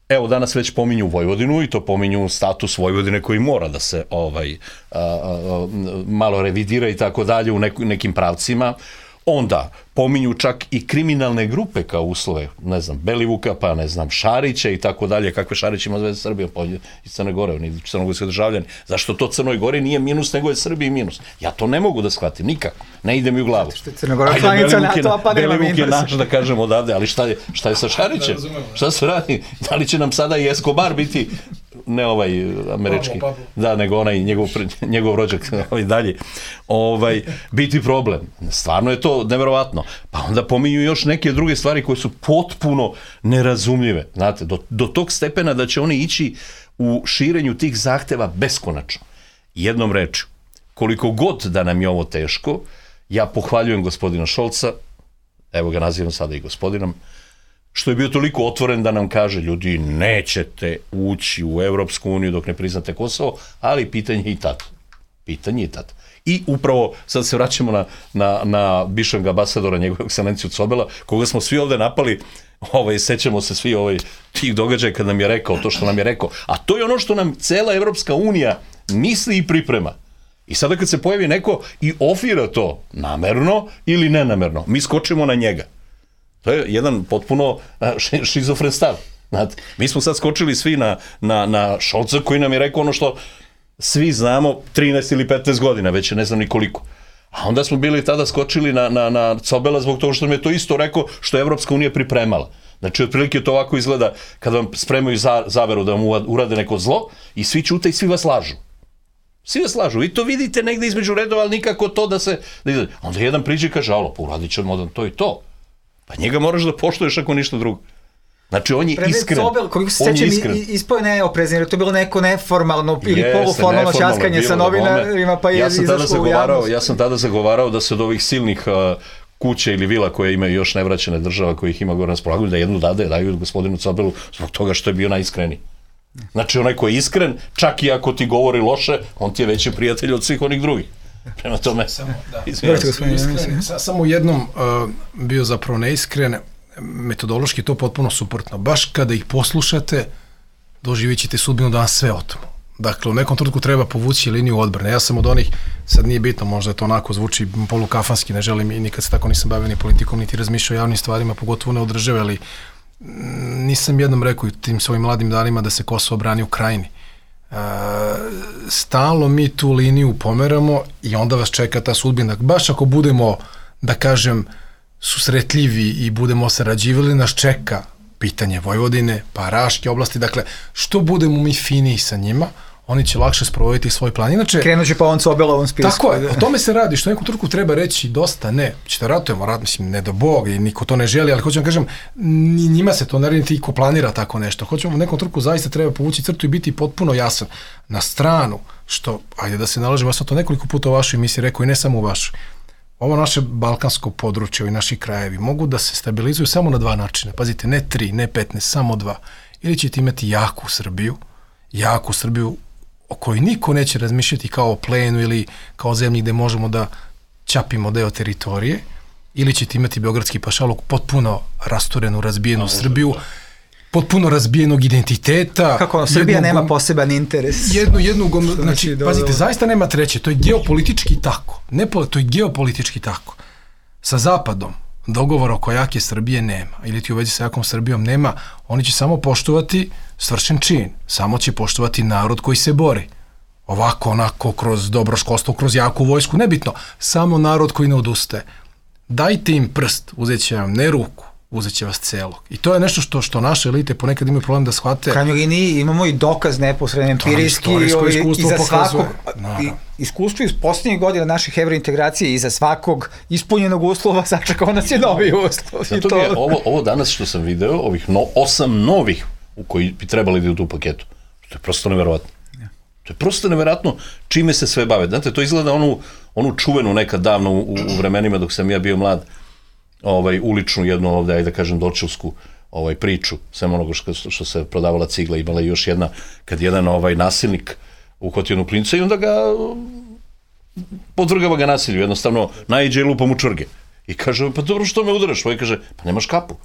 Evo, danas već pominju Vojvodinu i to pominju status Vojvodine koji mora da se ovaj a, a, malo revidira i tako dalje u neku, nekim pravcima. Onda pominju čak i kriminalne grupe kao uslove, ne znam, Belivuka, pa ne znam, Šarića i tako dalje, kakve Šarić ima veze Srbije, pa iz Crne Gore, oni crnogorski državljani. Zašto to Crnoj Gori nije minus, nego je Srbiji minus? Ja to ne mogu da shvatim, nikako. Ne ide mi u glavu. Što je Crna Gora članica NATO, pa nema minus. Belivuk je naš, da kažem odavde, ali šta je, šta je sa Šarićem? Šta se radi? Da li će nam sada i Escobar biti, ne ovaj američki, Pablo, Pablo. Da, nego onaj njegov, njegov rođak ovaj dalje, ovaj, biti problem. Stvarno je to neverovatno. Pa onda pominju još neke druge stvari koje su potpuno nerazumljive. Znate, do, do tog stepena da će oni ići u širenju tih zahteva beskonačno. Jednom rečju, koliko god da nam je ovo teško, ja pohvaljujem gospodina Šolca, evo ga nazivam sada i gospodinom, što je bio toliko otvoren da nam kaže, ljudi, nećete ući u Evropsku uniju dok ne priznate Kosovo, ali pitanje je i tad. Pitanje je i tad. I upravo, sad se vraćamo na, na, na bivšeg ambasadora, njegovu ekscelenciju Cobela, koga smo svi ovde napali, ovaj, sećamo se svi ovaj, tih događaja kad nam je rekao to što nam je rekao. A to je ono što nam cela Evropska unija misli i priprema. I sada kad se pojavi neko i ofira to namerno ili nenamerno, mi skočimo na njega. To je jedan potpuno šizofren stav. Znate, mi smo sad skočili svi na, na, na Šolca koji nam je rekao ono što svi znamo trinaest ili petnaest godina, već ne znam ni koliko. A onda smo bili tada skočili na, na, na Cobela zbog toga što nam je to isto rekao što je Evropska unija pripremala. Znači, otprilike to ovako izgleda kada vam spremaju za, zaveru da vam urade neko zlo i svi ćute i svi vas lažu. Svi vas lažu. Vi to vidite negde između redova, ali nikako to da se... Da onda jedan priđe i kaže, alo, pa uradit ćemo da to i to. Pa njega moraš da poštuješ ako ništa drugo. Znači, on je Predred iskren. Sobel, koliko se sećam, ispao je neoprezan, jer to je bilo neko neformalno ili Jeste, poluformalno ćaskanje sa novinarima, pa je ja izašlo u javnost. Ja sam tada zagovarao da se od ovih silnih uh, kuće ili vila koje imaju još nevraćene država, koji ih ima gore na raspolaganju, da jednu dade daju gospodinu Cobelu zbog toga što je bio najiskreniji. Znači, onaj ko je iskren, čak i ako ti govori loše, on ti je veći prijatelj od svih onih drugih. Prema tome, samo, da. Iskren, samo jednom uh, bio zapravo neiskren, metodološki to potpuno suprotno. Baš kada ih poslušate, doživit ćete sudbinu da vam sve otmu. Dakle, u nekom trenutku treba povući liniju odbrane. Ja sam od onih, sad nije bitno, možda je to onako zvuči polukafanski, ne želim i nikad se tako nisam bavio ni politikom, niti razmišljao o javnim stvarima, pogotovo ne od države, ali nisam jednom rekao tim svojim mladim danima da se Kosovo brani u Krajini. E, stalno mi tu liniju pomeramo i onda vas čeka ta sudbina. Baš ako budemo, da kažem, susretljivi i budemo sarađivali, nas čeka pitanje Vojvodine, pa Raške oblasti. Dakle, što budemo mi finiji sa njima, oni će lakše sprovoditi svoj plan. Inače, krenut će pa on Sobelovom spisku. Tako je, o tome se radi, što neku trku treba reći dosta ne. Ćete ratujemo, rat, mislim, ne do Bog i niko to ne želi, ali hoću vam kažem, ni njima se to ne radi, ko planira tako nešto. Hoćemo u nekom trku zaista treba povući crtu i biti potpuno jasan. Na stranu, što, ajde da se nalažemo, ja sam to nekoliko puta u vašoj emisiji rekao i ne samo u vašoj. Ovo naše balkansko područje i naši krajevi mogu da se stabilizuju samo na dva načina. Pazite, ne tri, ne petnaest, samo dva. Ili ćete imati jaku Srbiju, jaku Srbiju o kojoj niko neće razmišljati kao o plenu ili kao zemlji gde možemo da ćapimo deo teritorije, ili ćete imati beogradski pašaluk, potpuno rasturenu, razbijenu Srbiju, potpuno razbijenog identiteta. Kako ono, Srbija jednu, nema poseban interes. Jednu, jednu, znači, znači pazite, zaista nema treće, to je geopolitički tako. Ne, to je geopolitički tako. Sa Zapadom dogovora oko jake Srbije nema, ili ti u vezi sa jakom Srbijom nema, oni će samo poštovati svršen čin, samo će poštovati narod koji se bori. Ovako, onako, kroz dobro školstvo, kroz jaku vojsku, nebitno, samo narod koji ne odustaje. Dajte im prst, uzet će vam ne ruku, uzet će vas celog. I to je nešto što, što naše elite ponekad imaju problem da shvate. U krajnjoj liniji imamo i dokaz neposredno empirijski i za svakog iskustvo iz posljednjih godina naših evrointegracije i za svakog ispunjenog uslova sačekao nas je novi uslov. Zato to... je ovo, ovo danas što sam video, ovih no, osam novih u koji bi trebali da idu u paketu. To je prosto neverovatno. To je prosto neverovatno čime se sve bave. Znate, to izgleda onu, onu čuvenu nekad davno u, u vremenima dok sam ja bio mlad, ovaj, uličnu jednu ovde, ajde da kažem, dočevsku ovaj, priču, sem onoga što, što se prodavala cigla, imala još jedna, kad jedan ovaj, nasilnik uhvatio jednu klinca i onda ga podvrgava ga nasilju, jednostavno naiđe i lupa mu čvrge. I kaže, pa dobro, što me udaraš? Ovaj kaže, pa nemaš kapu.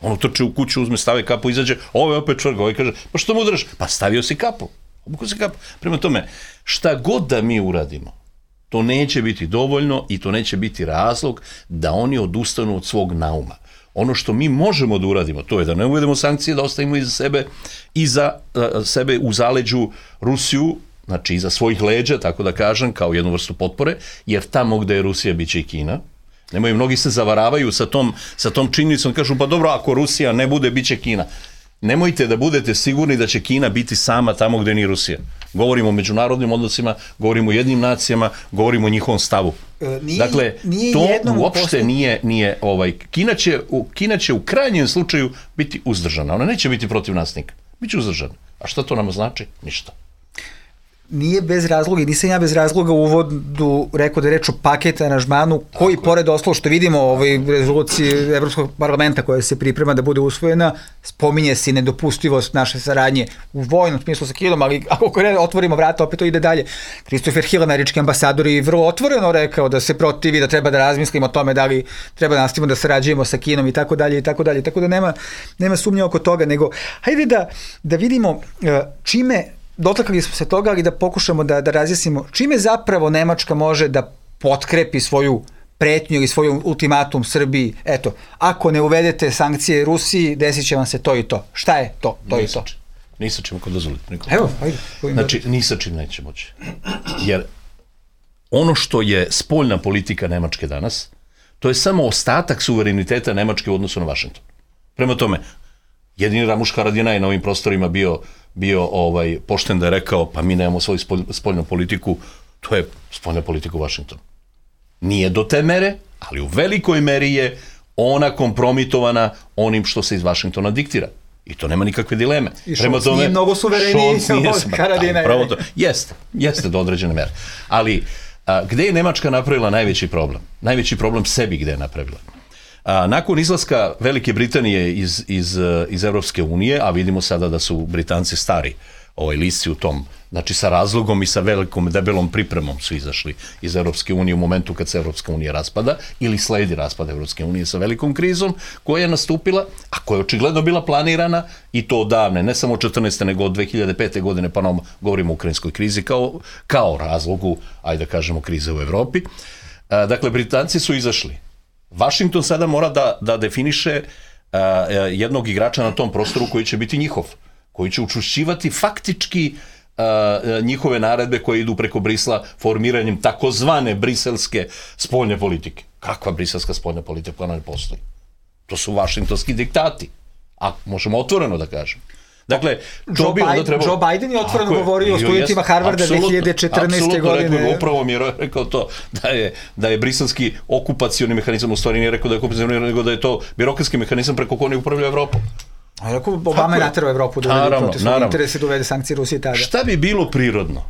On utrči u kuću, uzme, stavi kapu, izađe, ovo je opet čvrga. Ovaj kaže, pa što me udaraš? Pa stavio si kapu. Obukao si kapu. Prema tome, šta god da mi uradimo, to neće biti dovoljno i to neće biti razlog da oni odustanu od svog nauma. Ono što mi možemo da uradimo, to je da ne uvedemo sankcije, da ostavimo iza sebe, iza uh, sebe u zaleđu Rusiju, znači iza svojih leđa, tako da kažem, kao jednu vrstu potpore, jer tamo gde je Rusija, bit će i Kina. Nemaju, mnogi se zavaravaju sa tom, sa tom činjenicom, kažu, pa dobro, ako Rusija ne bude, bit će Kina. Nemojte da budete sigurni da će Kina biti sama tamo gde nije Rusija. Govorimo o međunarodnim odnosima, govorimo o jednim nacijama, govorimo o njihovom stavu. E, nije, dakle, nije to uopšte posle... nije, nije ovaj, Kina će, u, Kina će u krajnjem slučaju biti uzdržana. Ona neće biti protiv nas nikad. Biće uzdržana. A šta to nama znači? Ništa. Nije bez razloga i nisam ja bez razloga u uvodu rekao da je reč o paket aranžmanu koji tako pored oslo što vidimo u ovoj rezoluciji Evropskog parlamenta koja se priprema da bude usvojena, spominje se nedopustivost naše saradnje u vojnom smislu sa Kinom, ali ako otvorimo vrata opet to ide dalje. Christopher Hill, američki ambasador, je vrlo otvoreno rekao da se protivi, da treba da razmislimo o tome da li treba da nastavimo da sarađujemo sa Kinom i tako dalje i tako dalje, tako da nema, nema sumnje oko toga, nego hajde da, da vidimo čime dotakli smo se toga, ali da pokušamo da, da razjasnimo čime zapravo Nemačka može da potkrepi svoju pretnju ili svoj ultimatum Srbiji, eto, ako ne uvedete sankcije Rusiji, desit će vam se to i to. Šta je to? To i to. Ni sa čim, ako dozvolite. Evo, ajde. Znači, ni sa čim neće moći. Jer ono što je spoljna politika Nemačke danas, to je samo ostatak suvereniteta Nemačke u odnosu na Vašington. Prema tome, jedini Ramuš Haradinaj na ovim prostorima bio, bio ovaj, pošten da je rekao, pa mi nemamo svoju spolj, spoljnu politiku, to je spoljna politika u Vašingtonu. Nije do te mere, ali u velikoj meri je ona kompromitovana onim što se iz Vašingtona diktira. I to nema nikakve dileme. I Šolc nije mnogo suvereniji od Haradinaja. Jeste, jeste do određene mere. Ali a, gde je Nemačka napravila najveći problem? Najveći problem sebi gde je napravila. A, nakon izlaska Velike Britanije iz, iz, iz Evropske unije, a vidimo sada da su Britanci stari ovaj lisci u tom, znači sa razlogom i sa velikom debelom pripremom su izašli iz Evropske unije u momentu kad se Evropska unija raspada ili sledi raspada Evropske unije sa velikom krizom koja je nastupila, a koja je očigledno bila planirana i to odavne, ne samo od četrnaeste nego od dve hiljade pete godine, pa nam govorimo o ukrajinskoj krizi kao, kao razlogu, ajde da kažemo, krize u Evropi. A, dakle, Britanci su izašli. Vašington sada mora da, da definiše a, jednog igrača na tom prostoru koji će biti njihov, koji će učušćivati faktički uh, njihove naredbe koje idu preko Brisla formiranjem takozvane briselske spoljne politike. Kakva briselska spoljna politika? Ona ne postoji. To su vašingtonski diktati. A možemo otvoreno da kažem. Dakle, Joe, bi Biden, trebalo... Joe Biden je otvoreno je, govorio o studentima Harvarda dve hiljade četrnaeste godine. Rekao, upravo mi je rekao to, da je, da je briselski okupacioni mehanizam, u stvari nije rekao da je okupacioni, nego da je to birokratski mehanizam preko kojeg upravlja Evropom. A rekao, Obama je naterao Evropu da uvede protiv svog interesa da uvede sankcije Rusije tada. Šta bi bilo prirodno?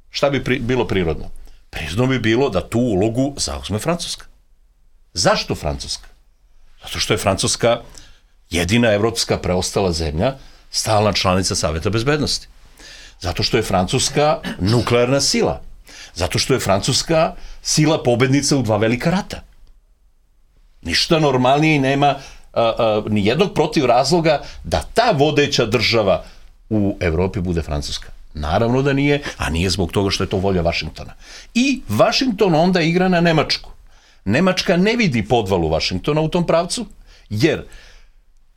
Šta bi pri, bilo prirodno? Prirodno bi bilo da tu ulogu zauzme Francuska. Zašto Francuska? Zato što je Francuska jedina evropska preostala zemlja, stalna članica Saveta bezbednosti. Zato što je Francuska nuklearna sila. Zato što je Francuska sila pobednica u dva velika rata. Ništa normalnije nema a, a, ni jednog protiv razloga da ta vodeća država u Evropi bude Francuska. Naravno da nije, a nije zbog toga što je to volja Vašingtona. I Vašington onda igra na Nemačku. Nemačka ne vidi podvalu Vašingtona u tom pravcu, jer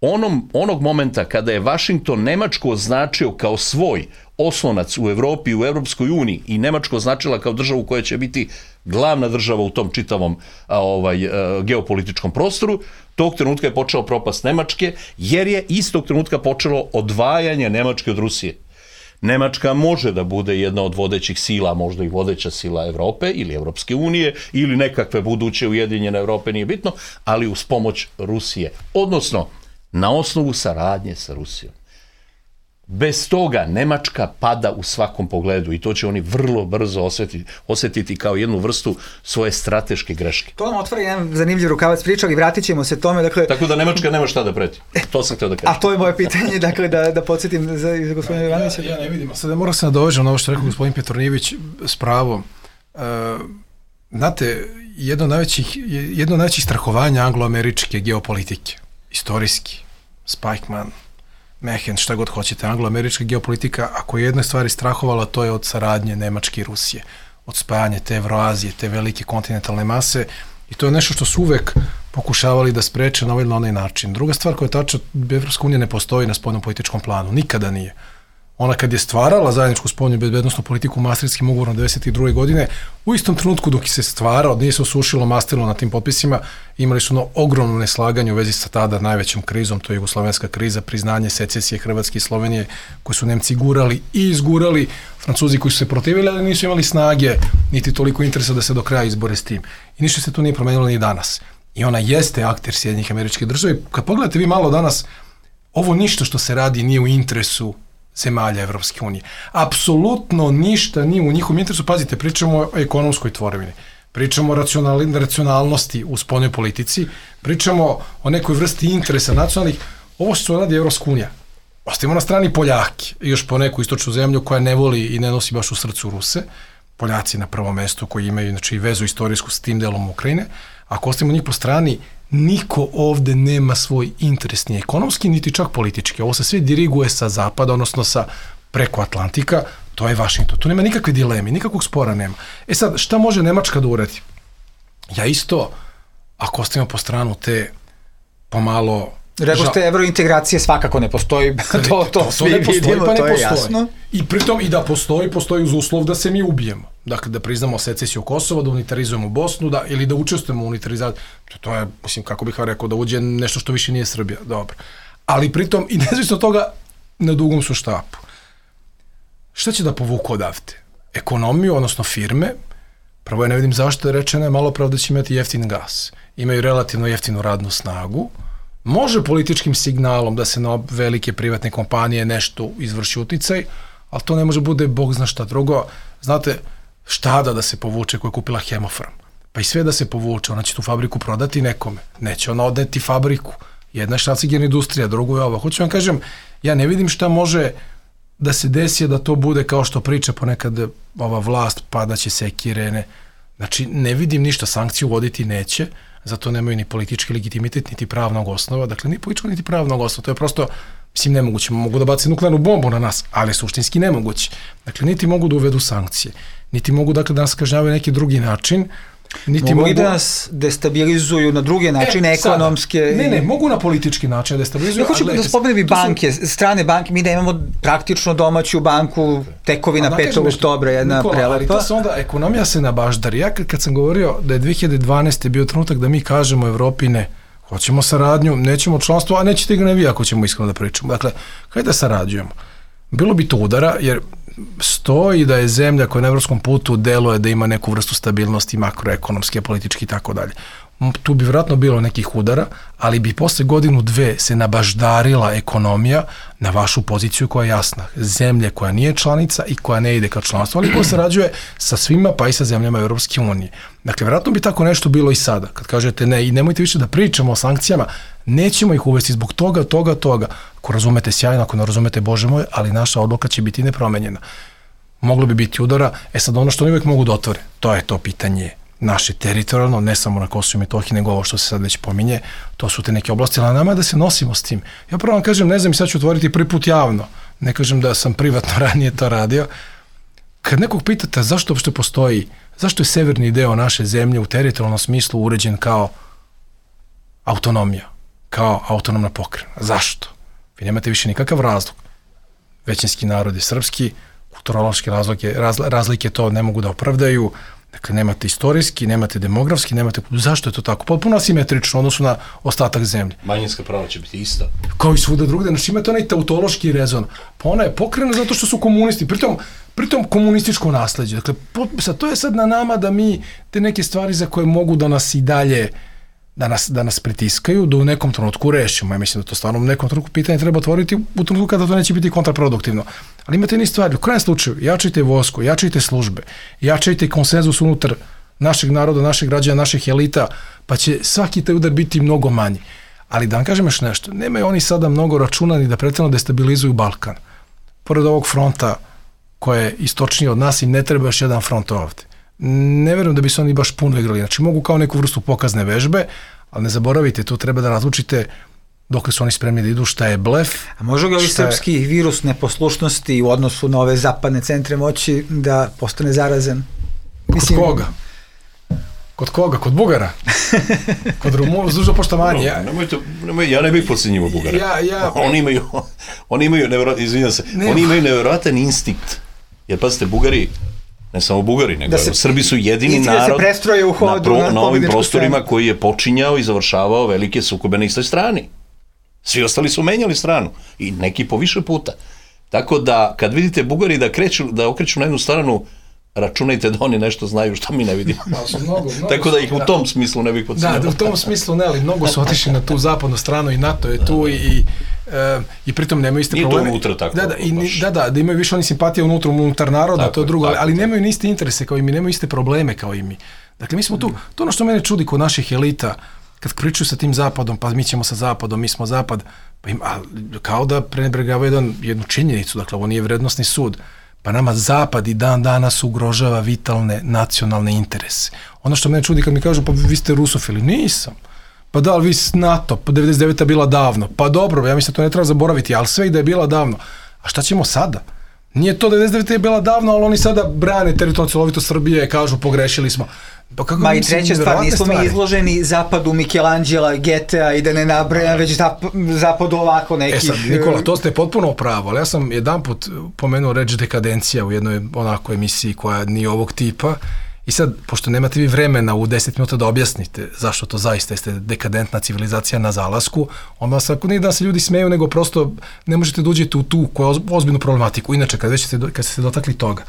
onom, onog momenta kada je Vašington Nemačku označio kao svoj oslonac u Evropi i u Evropskoj uniji i Nemačku označila kao državu koja će biti glavna država u tom čitavom a, ovaj, a, geopolitičkom prostoru, tog trenutka je počeo propast Nemačke, jer je istog trenutka počelo odvajanje Nemačke od Rusije. Nemačka može da bude jedna od vodećih sila, možda i vodeća sila Evrope ili Evropske unije ili nekakve buduće ujedinjene Evrope, nije bitno, ali uz pomoć Rusije. Odnosno, na osnovu saradnje sa Rusijom. Bez toga Nemačka pada u svakom pogledu i to će oni vrlo brzo osjetiti, osjetiti kao jednu vrstu svoje strateške greške. To nam otvara jedan zanimljiv rukavac priča, ali vratit ćemo se tome. Dakle, tako da Nemačka nema šta da preti. To sam htio da kažem. A to je moje pitanje, dakle, da, da podsjetim za, za gospodina Ivanovića. Ja, ja ne vidim. Sada moram se nadovežem na ovo što rekao gospodin Petronijević s pravom. Uh, znate, jedno od najvećih, jedno od najvećih strahovanja anglo-američke geopolitike, istorijski, Spikeman, Mehen, šta god hoćete, anglo-američka geopolitika, ako je jedna stvari strahovala, to je od saradnje Nemačke i Rusije, od spajanja te Evroazije, te velike kontinentalne mase, i to je nešto što su uvek pokušavali da spreče na ovaj ili na onaj način. Druga stvar koja je tačna, Evropska unija ne postoji na spoljnom političkom planu, nikada nije. Ona kad je stvarala zajedničku spoljnu bezbednosnu politiku Maastrichtskim ugovorom devedeset druge godine, u istom trenutku dok se stvarao, nije se osušilo mastilo na tim potpisima, imali su ono ogromno neslaganje u vezi sa tada najvećom krizom, to je jugoslovenska kriza, priznanje secesije Hrvatske i Slovenije, koje su Nemci gurali i izgurali, Francuzi koji su se protivili, ali nisu imali snage, niti toliko interesa da se do kraja izbore s tim. I ništa se tu nije promenilo ni danas. I ona jeste akter Sjedinjenih Američkih Država. Kad pogledate vi malo danas, ovo ništa što se radi nije u interesu zemalja Evropske unije. Apsolutno ništa nije u njihovom interesu. Pazite, pričamo o ekonomskoj tvorevini, pričamo o racionalnosti u spoljnoj politici, pričamo o nekoj vrsti interesa nacionalnih. Ovo što radi Evropska unija. Ostavimo na strani Poljake, još po neku istočnu zemlju koja ne voli i ne nosi baš u srcu Ruse. Poljaci na prvom mestu koji imaju, znači, vezu istorijsku s tim delom Ukrajine. Ako ostavimo njih po strani, niko ovde nema svoj interes, ni ekonomski, niti čak politički. Ovo se sve diriguje sa zapada, odnosno sa preko Atlantika, to je Vašington. Tu nema nikakve dileme, nikakvog spora nema. E sad, šta može Nemačka da uradi? ja isto, ako ostavimo po stranu te pomalo... Rekao ste, evrointegracije svakako ne postoji, to, to, to svi ne postoji, vidimo, pa ne to je postoji. jasno. I pritom i da postoji, postoji uz uslov da se mi ubijemo. Dakle, da priznamo secesiju Kosova, da unitarizujemo Bosnu, da, ili da učestvujemo u unitarizaciji. To je, mislim, kako bih vam rekao, da uđe nešto što više nije Srbija. Dobro. Ali pritom, i nezavisno toga, na dugom su štapu. Šta će da povuku odavde? Ekonomiju, odnosno firme. Prvo ja ne vidim zašto je rečeno, malo pravo da će imati jeftin gas. Imaju relativno jeftinu radnu snagu. Može političkim signalom da se na velike privatne kompanije nešto izvrši uticaj, ali to ne može bude bog zna šta drugo. Znate, Štada da se povuče koja je kupila Hemofarm. Pa i sve da se povuče, ona će tu fabriku prodati nekome. Neće ona odneti fabriku. Jedna je štacigerna industrija, drugo je ovo. Hoću vam kažem, ja ne vidim šta može da se desi da to bude kao što priča ponekad ova vlast, padaće sekire, ne. Znači, ne vidim ništa, sankciju voditi neće, zato nemaju ni politički legitimitet, niti pravnog osnova, dakle, ni političkog, niti pravnog osnova, to je prosto, mislim, nemoguće, mogu da baci nuklearnu bombu na nas, ali suštinski nemoguće. Dakle, niti mogu da uvedu sankcije, niti mogu, dakle, da nas kažnjavaju neki drugi način, niti mogu i da nas destabilizuju na druge načine, e, ekonomske... Sada, ne, ne, mogu na politički način destabilizuju. Ja hoću da spomenem i banke, su... strane banke, mi da imamo praktično domaću banku, tekovina petog oktobra, jedna Nikola, prelepa. Ali to se onda, ekonomija se nabaždari. Ja kad, kad sam govorio da je dve hiljade dvanaeste bio trenutak da mi kažemo Evropi ne, hoćemo saradnju, nećemo članstvo, a nećete ga ne vi ako ćemo iskreno da pričamo. Dakle, hajde da sarađujemo. Bilo bi to udara, jer stoji da je zemlja koja na evropskom putu deluje da ima neku vrstu stabilnosti makroekonomske, politički i tako dalje. Tu bi vjerojatno bilo nekih udara, ali bi posle godinu dve se nabaždarila ekonomija na vašu poziciju koja je jasna. Zemlje koja nije članica i koja ne ide ka članstvu, ali koja sarađuje sa svima pa i sa zemljama Europske unije. Dakle, vjerojatno bi tako nešto bilo i sada. Kad kažete ne i nemojte više da pričamo o sankcijama, nećemo ih uvesti zbog toga, toga, toga. Ako razumete sjajno, ako ne razumete, Bože moj, ali naša odluka će biti nepromenjena. Moglo bi biti udara, e sad ono što oni uvijek mogu da otvore, to je to pitanje naše teritorijalno, ne samo na Kosovu i Metohiji, nego ovo što se sad već pominje, to su te neke oblasti, ali nama je da se nosimo s tim. Ja prvo vam kažem, ne znam, i sad ću otvoriti prvi put javno, ne kažem da sam privatno ranije to radio, kad nekog pitate zašto uopšte postoji, zašto je severni deo naše zemlje u teritorijalnom smislu uređen kao autonomija, kao autonomna pokrajina, zašto? Vi nemate više nikakav razlog. Većinski narod je srpski, kulturološke razlike, razl, razlike to ne mogu da opravdaju, dakle nemate istorijski, nemate demografski, nemate... Zašto je to tako? Potpuno asimetrično u odnosu na ostatak zemlje. Manjinska prava će biti ista. Kao i svuda drugde, znači imate onaj tautološki rezon. Pa ona je pokrena zato što su komunisti, pritom, pritom komunističko nasleđe. Dakle, sad, to je sad na nama da mi te neke stvari za koje mogu da nas i dalje da nas, da nas pritiskaju, da u nekom trenutku rešimo. Ja mislim da to stvarno u nekom trenutku pitanje treba otvoriti u trenutku kada to neće biti kontraproduktivno. Ali imate ni stvari, u krajem slučaju, jačajte vojsku, jačajte službe, jačajte konsenzus unutar našeg naroda, naših građana, naših elita, pa će svaki taj udar biti mnogo manji. Ali da vam kažem još nešto, nemaju oni sada mnogo računa ni da pretjerano destabilizuju Balkan. Pored ovog fronta koje je istočnije od nas i ne treba još jedan front ovde. Ne verujem da bi se oni baš puno igrali. Znači mogu kao neku vrstu pokazne vežbe, ali ne zaboravite, tu treba da razlučite dokle su oni spremni da idu, šta je blef. A može li ovaj srpski je... virus neposlušnosti u odnosu na ove zapadne centre moći da postane zarazan? Mislim... Kod koga? Kod koga? Kod Bugara? Kod Rumuna, uz dužo poštovanje. No, nemojte, nemoj, ja ne bih podcenjivo Bugara. Ja, ja... Oni imaju, oni imaju, nevjero, izvinjam se, ne, oni imaju nevjerojatan instinkt. Jer pazite, Bugari, ne samo Bugari, nego se, Srbi su jedini narod u hodu, na, pro, na, na ovim prostorima stranu. Koji je počinjao i završavao velike sukobe na istoj strani. Svi ostali su menjali stranu i neki po više puta. Tako da, kad vidite Bugari da, kreću, da okreću na jednu stranu, računajte da oni nešto znaju što mi ne vidimo. Mnogo, mnogo tako da ih u tom smislu ne bih podcenjavao. Da, da, u tom smislu ne, ali mnogo su otišli na tu zapadnu stranu i NATO je tu i, i, e, i pritom nemaju iste nije probleme. Nije to unutra tako. Da, da, i, da, da, da imaju više oni simpatije unutra, unutar naroda, tako, to je drugo, ali, ali nemaju ni iste interese kao i mi, nemaju iste probleme kao i mi. Dakle, mi smo tu, to ono što mene čudi kod naših elita, kad pričaju sa tim zapadom, pa mi ćemo sa zapadom, mi smo zapad, pa im, a, kao da prenebregavaju jedan, jednu činjenicu, dakle, ovo nije vrednostni sud. Pa nama zapad i dan danas ugrožava vitalne nacionalne interese. Ono što mene čudi kad mi kažu, pa vi ste rusofili, nisam. Pa da, ali vi s NATO, pa devedeset deveta bila davno. Pa dobro, ja mislim da to ne treba zaboraviti, ali sve i da je bila davno. A šta ćemo sada? Nije to devedeset devete je bila davno, ali oni sada brane teritorijalnu cjelovitost Srbije, kažu pogrešili smo. Pa kako Ma i treća stvar, nismo mi izloženi zapadu Michelangela, Getea i da ne nabrajam, već zap, zapadu ovako nekih... E sad, Nikola, to ste potpuno pravo, ali ja sam jedan put pomenuo reč dekadencija u jednoj onako emisiji koja nije ovog tipa i sad, pošto nemate vi vremena u deset minuta da objasnite zašto to zaista jeste dekadentna civilizacija na zalasku, onda vas ako nije da se ljudi smeju, nego prosto ne možete da uđete u tu koja je ozbiljnu problematiku. Inače, kad, već ste, kad ste se dotakli toga,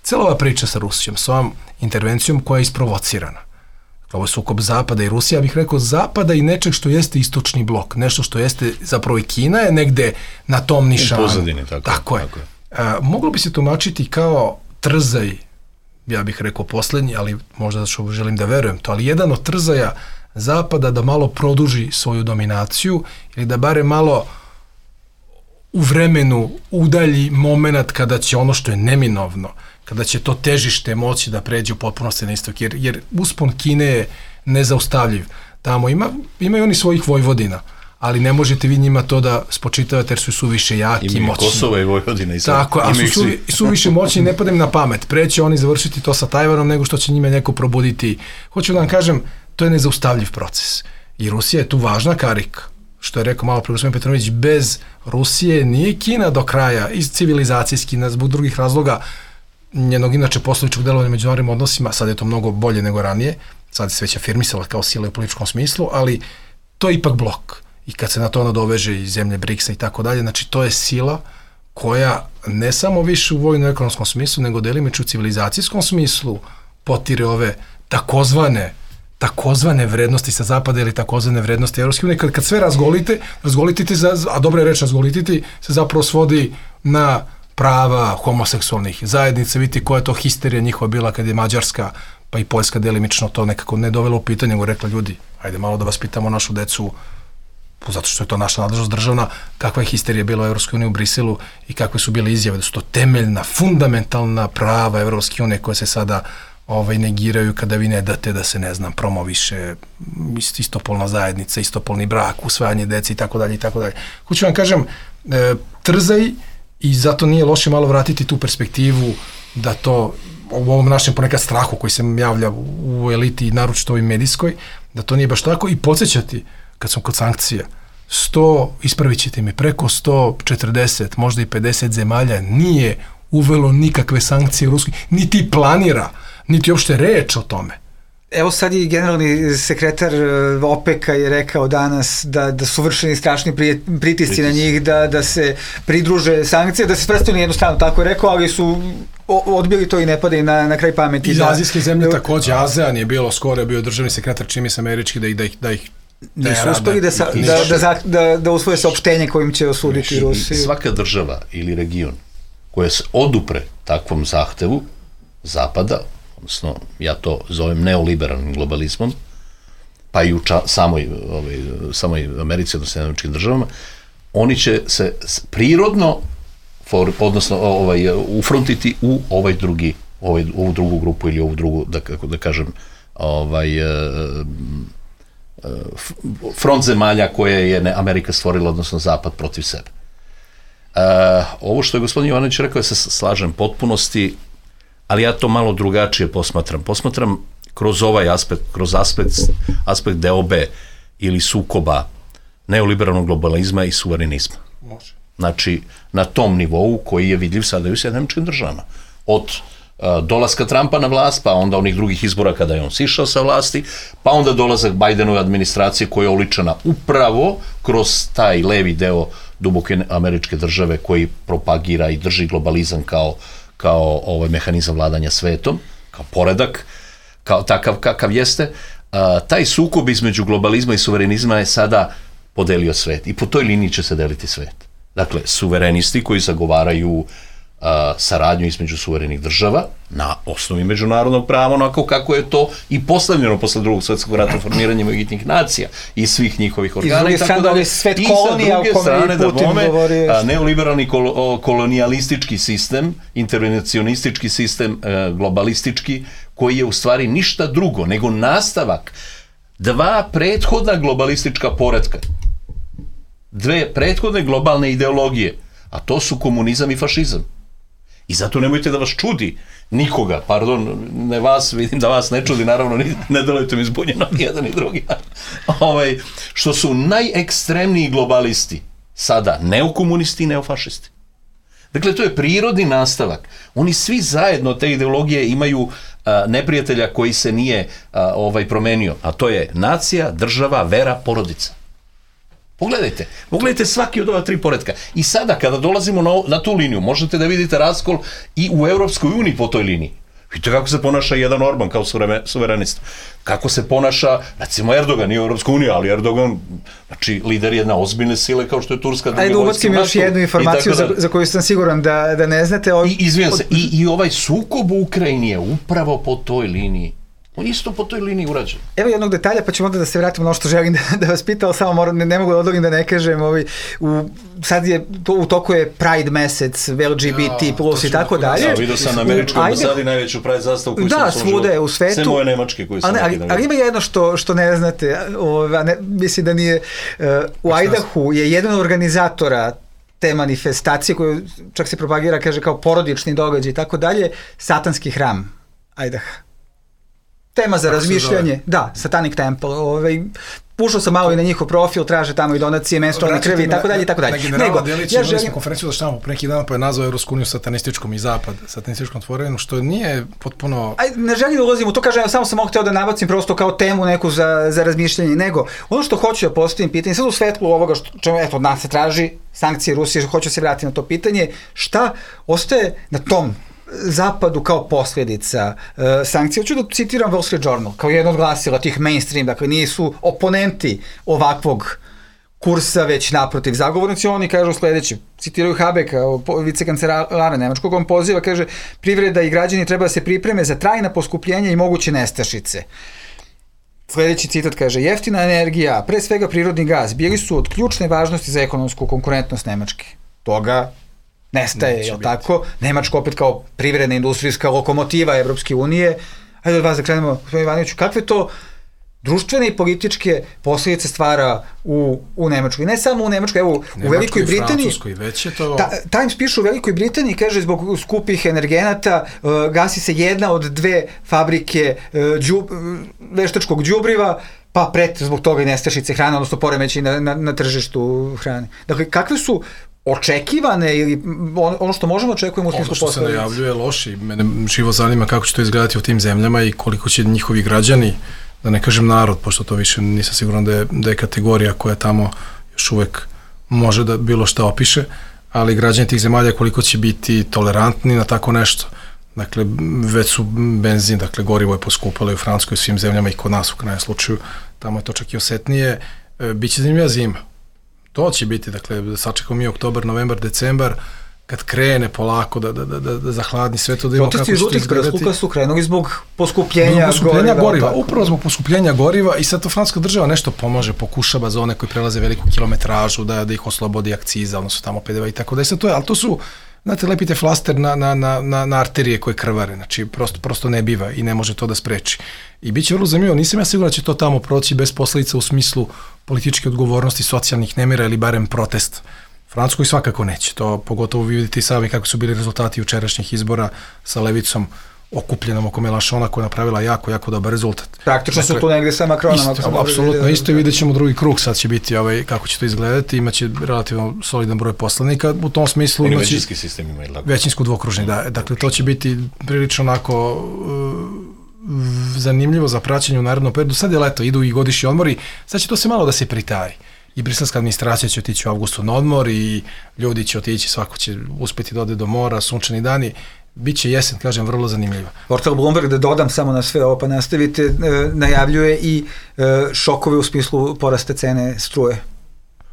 cijela ova priča sa Rusijom, s ovom intervencijom koja je isprovocirana. Ovo je sukob Zapada i Rusija, ja bih rekao Zapada i nečeg što jeste istočni blok, nešto što jeste zapravo i Kina je negde na tom nišanu. U pozadini, tako, tako je. Tako je. A, moglo bi se tumačiti kao trzaj, ja bih rekao poslednji, ali možda da što želim da verujem to, ali jedan od trzaja Zapada da malo produži svoju dominaciju ili da bare malo u vremenu udalji moment kada će ono što je neminovno, kada će to težište moći da pređe u potpunosti na istok, jer, jer uspon Kine je nezaustavljiv. Tamo ima, imaju oni svojih vojvodina, ali ne možete vi njima to da spočitavate jer su suviše jaki i moćni. Kosova i Vojvodina i sad. Tako, a su suvi, suviše moćni, ne padem na pamet. Pre će oni završiti to sa Tajvanom nego što će njime neko probuditi. Hoću da vam kažem, to je nezaustavljiv proces. I Rusija je tu važna karika. Što je rekao malo pre gospodin Petrović, bez Rusije nije Kina do kraja, iz civilizacijski, zbog drugih razloga, njenog inače poslovičkog delovanja međunarodnim odnosima, sad je to mnogo bolje nego ranije, sad se već afirmisala kao sila u političkom smislu, ali to je ipak blok. I kad se na to nadoveže i zemlje briksa i tako dalje, znači to je sila koja ne samo više u vojno-ekonomskom smislu, nego delimično u civilizacijskom smislu potire ove takozvane takozvane vrednosti sa zapada ili takozvane vrednosti Evropske unije. Kad, kad sve razgolite, razgolitite, za, a dobra je reč razgolititi, se zapravo svodi na prava homoseksualnih zajednica. Vidite koja je to histerija njihova bila kad je Mađarska pa i Poljska delimično to nekako ne dovela u pitanje, nego rekla ljudi, ajde malo da vas pitamo našu decu, zato što je to naša nadležnost državna, kakva je histerija bila u Evropskoj uniji u Briselu i kakve su bile izjave, da su to temeljna, fundamentalna prava Evropske unije koje se sada ovaj, negiraju kada vi ne date da se, ne znam, promoviše istopolna zajednica, istopolni brak, usvajanje dece i tako dalje i tako dalje. Hoću vam kažem, e, trzaj i zato nije loše malo vratiti tu perspektivu da to u ovom našem ponekad strahu koji se javlja u eliti i naročito ovoj medijskoj, da to nije baš tako i podsjećati kad sam kod sankcija, sto, ispravit ćete mi, preko sto četrdeset, možda i pedeset zemalja nije uvelo nikakve sankcije Ruskoj, niti planira, niti uopšte reč o tome. Evo sad i generalni sekretar OPEC-a je rekao danas da, da su vršeni strašni pritisci Pritis. na njih, da, da se pridruže sankcije, da se sprestaju jednu stranu, tako je rekao, ali su odbili to i ne padaju na, na kraj pameti. Iz azijske zemlje takođe, ASEAN je bilo, skoro je bio državni sekretar, čini se američki, da ih, da ih, da ih nisu uspeli da, da, da, da, da, da usvoje saopštenje kojim će osuditi Rusiju. Svaka država ili region koja se odupre takvom zahtevu Zapada, odnosno ja to zovem neoliberalnim globalizmom, pa i u ča, samoj, ovaj, samoj Americi, odnosno američkim državama, oni će se prirodno for, odnosno ovaj, ufrontiti u ovaj drugi, ovaj, ovu drugu grupu ili ovu drugu, da, kako da kažem, ovaj, front zemalja koje je Amerika stvorila, odnosno Zapad protiv sebe. Uh, ovo što je gospodin Jovanović rekao, ja se slažem potpunosti, ali ja to malo drugačije posmatram. Posmatram kroz ovaj aspekt, kroz aspekt, aspekt deobe ili sukoba neoliberalnog globalizma i suverenizma. Može. Znači, na tom nivou koji je vidljiv sada i u Sjedinjenim Američkim Državama. Od uh, dolaska Trumpa na vlast, pa onda onih drugih izbora kada je on sišao sa vlasti, pa onda dolazak Bidenove administracije koja je oličena upravo kroz taj levi deo duboke američke države koji propagira i drži globalizam kao, kao ovaj mehanizam vladanja svetom, kao poredak, kao takav kakav jeste. A, taj sukob između globalizma i suverenizma je sada podelio svet i po toj liniji će se deliti svet. Dakle, suverenisti koji zagovaraju a, saradnju između suverenih država na osnovi međunarodnog prava, onako kako je to i postavljeno posle drugog svetskog rata formiranjem Ujedinjenih nacija i svih njihovih organa i tako dalje. Svet kolonija, I sa druge strane da bome neoliberalni kol kolonijalistički sistem, intervencionistički sistem, globalistički, koji je u stvari ništa drugo nego nastavak dva prethodna globalistička poretka, dve prethodne globalne ideologije, a to su komunizam i fašizam. I zato nemojte da vas čudi nikoga, pardon, ne vas, vidim da vas ne čudi, naravno, ne delujete mi zbunjeno, ni jedan ni drugi, ovaj, što su najekstremniji globalisti sada neokomunisti i neofašisti. Dakle, to je prirodni nastavak. Oni svi zajedno te ideologije imaju a, neprijatelja koji se nije a, ovaj promenio, a to je nacija, država, vera, porodica. Pogledajte, pogledajte svaki od ova tri poretka. I sada, kada dolazimo na, na tu liniju, možete da vidite raskol i u Evropskoj uniji po toj liniji. Vidite kako se ponaša jedan Orban kao suverenista. Kako se ponaša, recimo Erdogan, nije u Evropskoj uniji, ali Erdogan, znači, lider jedne ozbiljne sile kao što je Turska. Ajde, ubacim još jednu informaciju za, za koju sam siguran da, da ne znate. Ov... I, izvijem se, i, i ovaj sukob u Ukrajini je upravo po toj liniji. On isto po toj liniji urađen. Evo jednog detalja, pa ćemo onda da se vratimo na ono što želim da, da vas pitao, samo moram, ne, ne mogu da odlogim da ne kažem, ovaj, u, sad je, to, u toku je Pride mesec, L G B T plus i tako dalje. Ja, vidio sam na američkoj ambasadi najveću Pride zastavu koju da, sam svude u svetu. Sve moje nemačke koji sam ali, ali, ali ima jedno što, što ne znate, ovaj, ne, mislim da nije, uh, u Idahu je jedan od organizatora te manifestacije koju čak se propagira, kaže kao porodični događaj i tako dalje, satanski hram Idaha. Tema za razmišljanje, da, Satanic Temple, ovaj, ušao sam malo i na njihov profil, traže tamo i donacije, menstrualne krvi i tako dalje i tako dalje. Na generala Delić ja imali smo konferenciju da štamo pre neki dan, pa je nazvao Evropsku uniju satanističkom i zapad, satanističkom tvorevinu, što nije potpuno... Aj, ne želim da ulazim u to, kažem, samo sam hteo da nabacim prosto kao temu neku za, za razmišljanje, nego ono što hoću da postavim pitanje, sad u svetlu ovoga što čemu, eto, od nas se traži, sankcije Rusije, što hoću se vratiti na to pitanje, šta ostaje na tom zapadu kao posljedica uh, sankcija. Hoću da citiram Wall Street Journal kao jedno od glasila tih mainstream, dakle nisu oponenti ovakvog kursa, već naprotiv zagovornici. Oni kažu sledeće, citiraju Habeka, vicekancelara nemačkog, on poziva, kaže, privreda i građani treba da se pripreme za trajna poskupljenja i moguće nestašice. Sledeći citat kaže, jeftina energija, pre svega prirodni gas, bili su od ključne važnosti za ekonomsku konkurentnost Nemačke. Toga nestaje, je li tako? Nemačka opet kao privredna industrijska lokomotiva Evropske unije. Hajde od vas da krenemo, gospodin Ivanoviću, kakve to društvene i političke posljedice stvara u, u Nemačkoj? I ne samo u Nemačkoj, evo Nemačkoj, u Velikoj Britaniji. Već je to... Ta, Times piše u Velikoj Britaniji, kaže, zbog skupih energenata uh, gasi se jedna od dve fabrike uh, džub, uh, veštačkog đubriva, pa pret zbog toga i nestašice hrane, odnosno poremeći na, na, na tržištu hrane. Dakle, kakve su očekivane ili ono što možemo očekujemo u smislu posledica? Ono što se najavljuje loše i mene živo zanima kako će to izgledati u tim zemljama i koliko će njihovi građani, da ne kažem narod, pošto to više nisam siguran da je, da je kategorija koja tamo još uvek može da bilo šta opiše, ali građani tih zemalja koliko će biti tolerantni na tako nešto. Dakle, već su benzin, dakle, gorivo je poskupalo i u Francuskoj, u svim zemljama i kod nas u krajnjem slučaju, tamo je to čak i osetnije. E, biće zanimljiva zima. To će biti, dakle, da sačekamo mi oktobar, novembar, decembar, kad krene polako da, da, da, da zahladni sve to, da imamo kako će to izgledati. Protesti su krenuli zbog poskupljenja, poskupljenja goriva. goriva upravo zbog poskupljenja goriva i sad to francuska država nešto pomaže, pokušava za one koji prelaze veliku kilometražu, da, da ih oslobodi akciza, odnosno tamo P D V i tako da je sad to je, ali to su, znate, lepite flaster na, na, na, na, na arterije koje krvare, znači prosto, prosto ne biva i ne može to da spreči. I bit će vrlo zanimljivo, nisam ja siguran da će to tamo proći bez posledica u smislu političke odgovornosti, socijalnih nemira ili barem protest. Francuskoj svakako neće, to pogotovo vi vidite i sami kako su bili rezultati jučerašnjih izbora sa levicom okupljenom oko Mélenchona koja je napravila jako, jako dobar rezultat. Praktično dakle, su tu negde sa Macronom. Isto, apsolutno isto i vidjet ćemo drugi krug, sad će biti ovaj, kako će to izgledati, imaće relativno solidan broj poslanika, u tom smislu imaće većinski sistem ima jedlako. Većinsko dvokružni, da, dakle to će biti prilično onako uh, zanimljivo za praćenje u narednom periodu, sad je leto, idu i godišnji odmori, sad će to se malo da se pritaji. I briselska administracija će otići u avgustu na odmor i ljudi će otići, svako će uspjeti da ode do mora, sunčani dani. Biće jesen, kažem, vrlo zanimljiva. Portal Bloomberg, da dodam samo na sve ovo, pa nastavite, e, najavljuje i e, šokove u smislu porasta cene struje,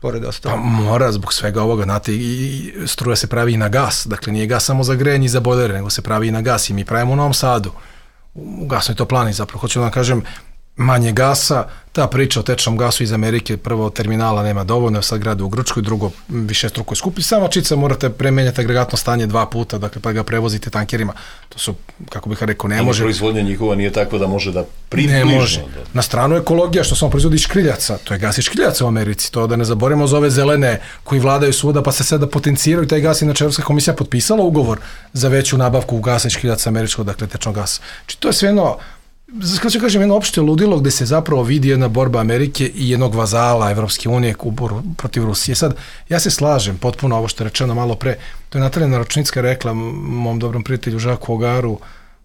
pored ostalo. Pa mora, zbog svega ovoga, znate, i struja se pravi i na gas, dakle nije gas samo za grejanje i za bojlere, nego se pravi i na gas i mi pravimo u Novom Sadu, u gasnoj toplani zapravo, hoću da vam kažem, manje gasa, ta priča o tečnom gasu iz Amerike, prvo terminala nema dovoljno, sad grade u Grčkoj, drugo više struko je skupi, samo čica morate premenjati agregatno stanje dva puta, dakle pa ga prevozite tankerima. To su, kako bih rekao, ne može. Proizvodnja njihova nije tako da može da približno. Ne može. Na stranu ekologija, što samo proizvodi škriljaca, to je gas iz škriljaca u Americi, to da ne zaboravimo za ove zelene koji vladaju svuda, pa se sada potenciraju taj gas, inače Evropska komisija potpisala ugovor za veću nabavku gasa iz škriljaca američkog, dakle tečnog gasa. Znači to je sve jedno, kako ću kažem, jedno opšte ludilo gde se zapravo vidi jedna borba Amerike i jednog vazala Evropske unije protiv Rusije. Sad, ja se slažem potpuno ovo što je rečeno malo pre, to je Natalija Naručnicka rekla mom dobrom prijatelju Žaku Ogaru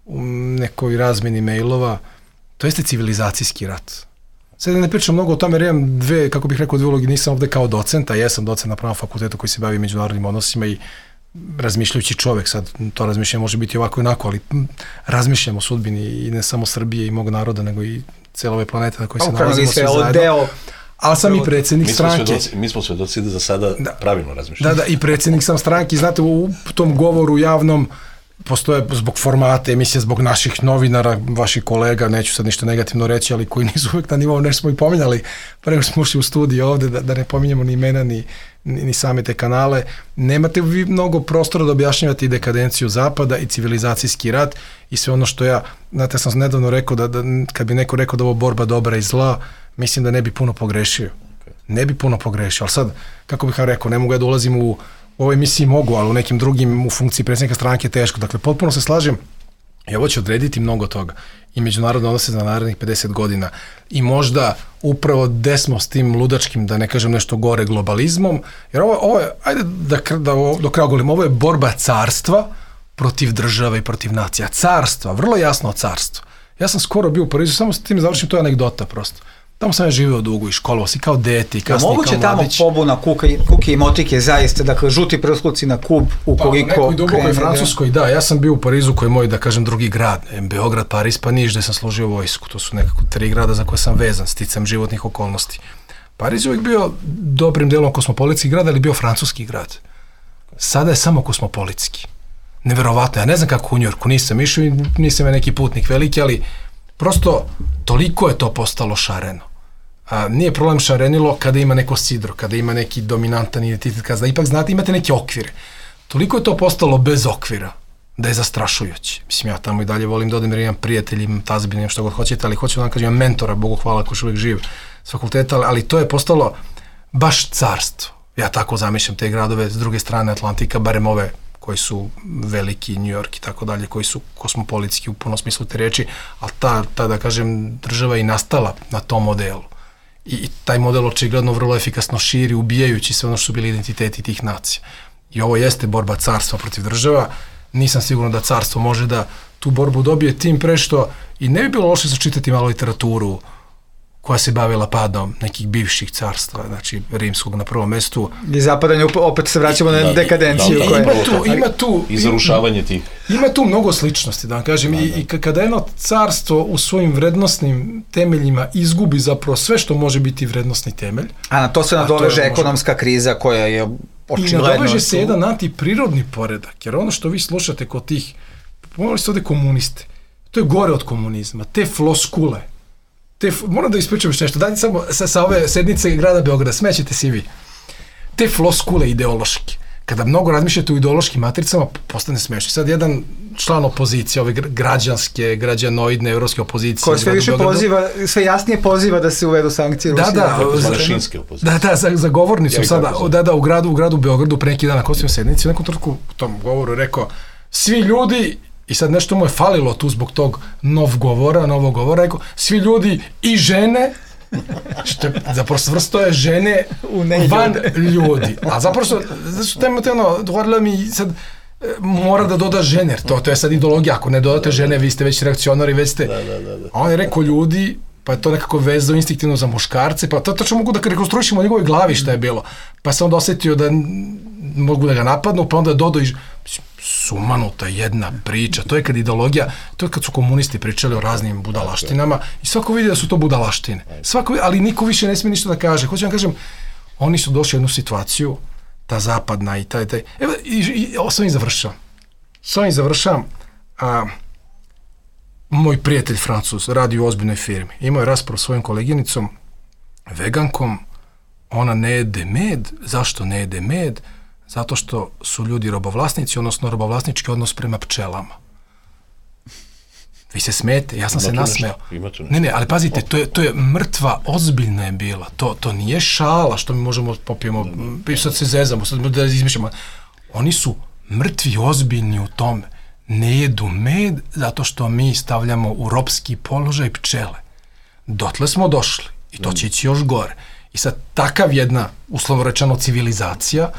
u nekoj razmeni mailova, to jeste civilizacijski rat. Sad ne pričam mnogo o tome, jer imam dve, kako bih rekao, dve ulogi, nisam ovde kao docenta, jesam docent na Pravnom fakultetu koji se bavi međunarodnim odnosima i razmišljajući čovek, sad to razmišljanje može biti ovako i onako, ali razmišljam o sudbini i ne samo Srbije i mog naroda, nego i cele ove planete na kojoj se nalazimo svi zajedno. Deo, ali sam i predsjednik stranke. Svedoci, mi smo svedoci da za sada da, pravilno razmišljamo. Da, da, i predsjednik sam stranke, znate, u tom govoru javnom postoje zbog formata emisije, zbog naših novinara, vaših kolega, neću sad ništa negativno reći, ali koji nisu uvek na nivou, nešto smo i pominjali, pa nego smo ušli u studiju ovde, da, da ne pominjemo ni imena, ni, ni, ni same te kanale. Nemate vi mnogo prostora da objašnjavate i dekadenciju Zapada i civilizacijski rat i sve ono što ja, znate, sam nedavno rekao da, da kad bi neko rekao da ovo borba dobra i zla, mislim da ne bi puno pogrešio. Ne bi puno pogrešio, ali sad, kako bih vam rekao, ne mogu ja da ulazim u u ovoj emisiji mogu, ali u nekim drugim u funkciji predsjednika stranke je teško. Dakle, potpuno se slažem i ovo će odrediti mnogo toga. I međunarodne odnose za narednih pedeset godina. I možda upravo desmo s tim ludačkim, da ne kažem nešto gore, globalizmom. Jer ovo, ovo je, ajde da, da do kraja govorim, ovo je borba carstva protiv države i protiv nacija. Carstva, vrlo jasno carstvo. Ja sam skoro bio u Parizu, samo s tim završim, to je anegdota prosto. Tamo sam ja živio dugo i školovao si kao dete i kasnije moguće kao mladić. Moguće tamo pobuna kuka i, kuke i motike zaista, dakle žuti prskluci na Kub ukoliko... Pa u nekoj dubokoj Francuskoj, da, ja sam bio u Parizu koji je moj, da kažem, drugi grad, Beograd, Pariz, pa Niš, gde sam služio vojsku, to su nekako tri grada za koje sam vezan, sticam životnih okolnosti. Pariz je uvijek bio dobrim delom kosmopolitski grad, ali bio francuski grad. Sada je samo kosmopolitski. Neverovatno, ja ne znam kako u Njujorku, nisam išao i nisam je neki putnik veliki, ali prosto toliko je to postalo šareno. A, nije problem šarenilo kada ima neko sidro, kada ima neki dominantan identitet, kada ipak znate imate neke okvire. Toliko je to postalo bez okvira da je zastrašujuće. Mislim, ja tamo i dalje volim da odem jer imam prijatelji, imam tazbine, imam što god hoćete, ali hoću da vam kažem, imam mentora, Bogu hvala, ko još uvijek živ s fakulteta, ali to je postalo baš carstvo. Ja tako zamišljam te gradove s druge strane Atlantika, barem ove koji su veliki, New York i tako dalje, koji su kosmopolitski u punom smislu te reči, ali ta, ta, da kažem, država je i nastala na tom modelu. I taj model očigledno vrlo efikasno širi, ubijajući sve ono što su bili identiteti tih nacija. I ovo jeste borba carstva protiv država. Nisam siguran da carstvo može da tu borbu dobije tim pre što i ne bi bilo loše sačitati malo literaturu koja se bavila padom nekih bivših carstva, znači rimskog na prvom mestu. I zapadanje, opet se vraćamo na dekadenciju. Da, da, ima tu, ima tu, i zarušavanje tih. Ima tu mnogo sličnosti, da vam kažem, da, da. I, i kada jedno carstvo u svojim vrednostnim temeljima izgubi zapravo sve što može biti vrednostni temelj. A na to se nadoveže ekonomska može... kriza koja je očigledno... I nadoveže se jedan antiprirodni poredak, jer ono što vi slušate kod tih, pomogli ste ovde komuniste, to je gore od komunizma, te floskule, Te, moram da ispričam još nešto, dajte samo sa, sa ove sednice grada Beograda, smećete si vi. Te floskule ideološke, kada mnogo razmišljate u ideološkim matricama, postane smešno. Sad jedan član opozicije, ove građanske, građanoidne, evropske opozicije. Ko sve više poziva, sve jasnije poziva da se uvedu sankcije. Da, da, da, da, za, za govornicom sada, da, da, u gradu, u gradu Beogradu pre neki dan na Kosovoj sednici, u nekom trenutku u tom govoru rekao, svi ljudi, i sad nešto mu je falilo tu zbog tog nov govora, novog govora, rekao, svi ljudi i žene, što je, zapravo svrsto je žene van ljudi. A zapravo, znači, temate ono, govorila mi sad, mora da doda žene, to, to je sad ideologija, ako ne dodate žene, vi ste već reakcionari, već ste, da, da, da, da. A on je rekao ljudi, pa je to nekako vezao instinktivno za muškarce, pa to tačno mogu da rekonstruišemo u njegovoj glavi šta je bilo. Pa se onda osjetio da mogu da ga napadnu, pa onda dodao i sumanuta jedna priča, to je kad ideologija, to je kad su komunisti pričali o raznim budalaštinama i svako vidi da su to budalaštine. Svako, ali niko više ne smije ništa da kaže. Hoću vam kažem, oni su došli u jednu situaciju, ta zapadna i taj, taj, evo, i, i s ovim završavam. S ovim završavam, a, moj prijatelj Francuz radi u ozbiljnoj firmi. Imao je raspravu s svojim koleginicom, vegankom, ona ne jede med. Zašto ne jede med? Zato što su ljudi robovlasnici, odnosno robovlasnički odnos prema pčelama. Vi se smete, ja sam se nasmeo. Ne, ne, ali pazite, to je, to je mrtva, ozbiljna je bila. To, to nije šala što mi možemo popijemo, sad se zezamo, sad da izmišljamo. Oni su mrtvi, ozbiljni u tome. Ne jedu med zato što mi stavljamo u ropski položaj pčele. Dotle smo došli i to će ići još gore. I sad takav jedna, uslovno rečeno, civilizacija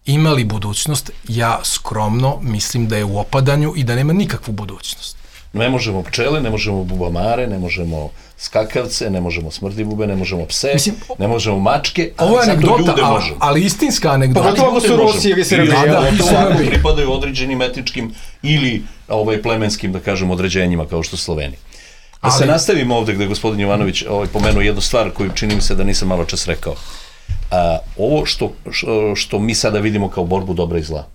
ima li budućnost? Ja skromno mislim da je u opadanju i da nema nikakvu budućnost. Ne možemo pčele, ne možemo bubamare, ne možemo skakavce, ne možemo smrdljivube, ne možemo pse, mislim, ne možemo mačke, ali ovo je zato anegdota, ljude ali, možemo. ali istinska anegdota. Pa to su Rusije, vi se ili rekli. pripadaju određenim etničkim ili ovaj, plemenskim, da kažem, određenjima, kao što Sloveni. Da ali, se nastavimo ovde gde je gospodin Jovanović ovaj, pomenuo jednu stvar koju čini mi se da nisam malo čas rekao. A, ovo što, što, što mi sada vidimo kao borbu dobra i zla,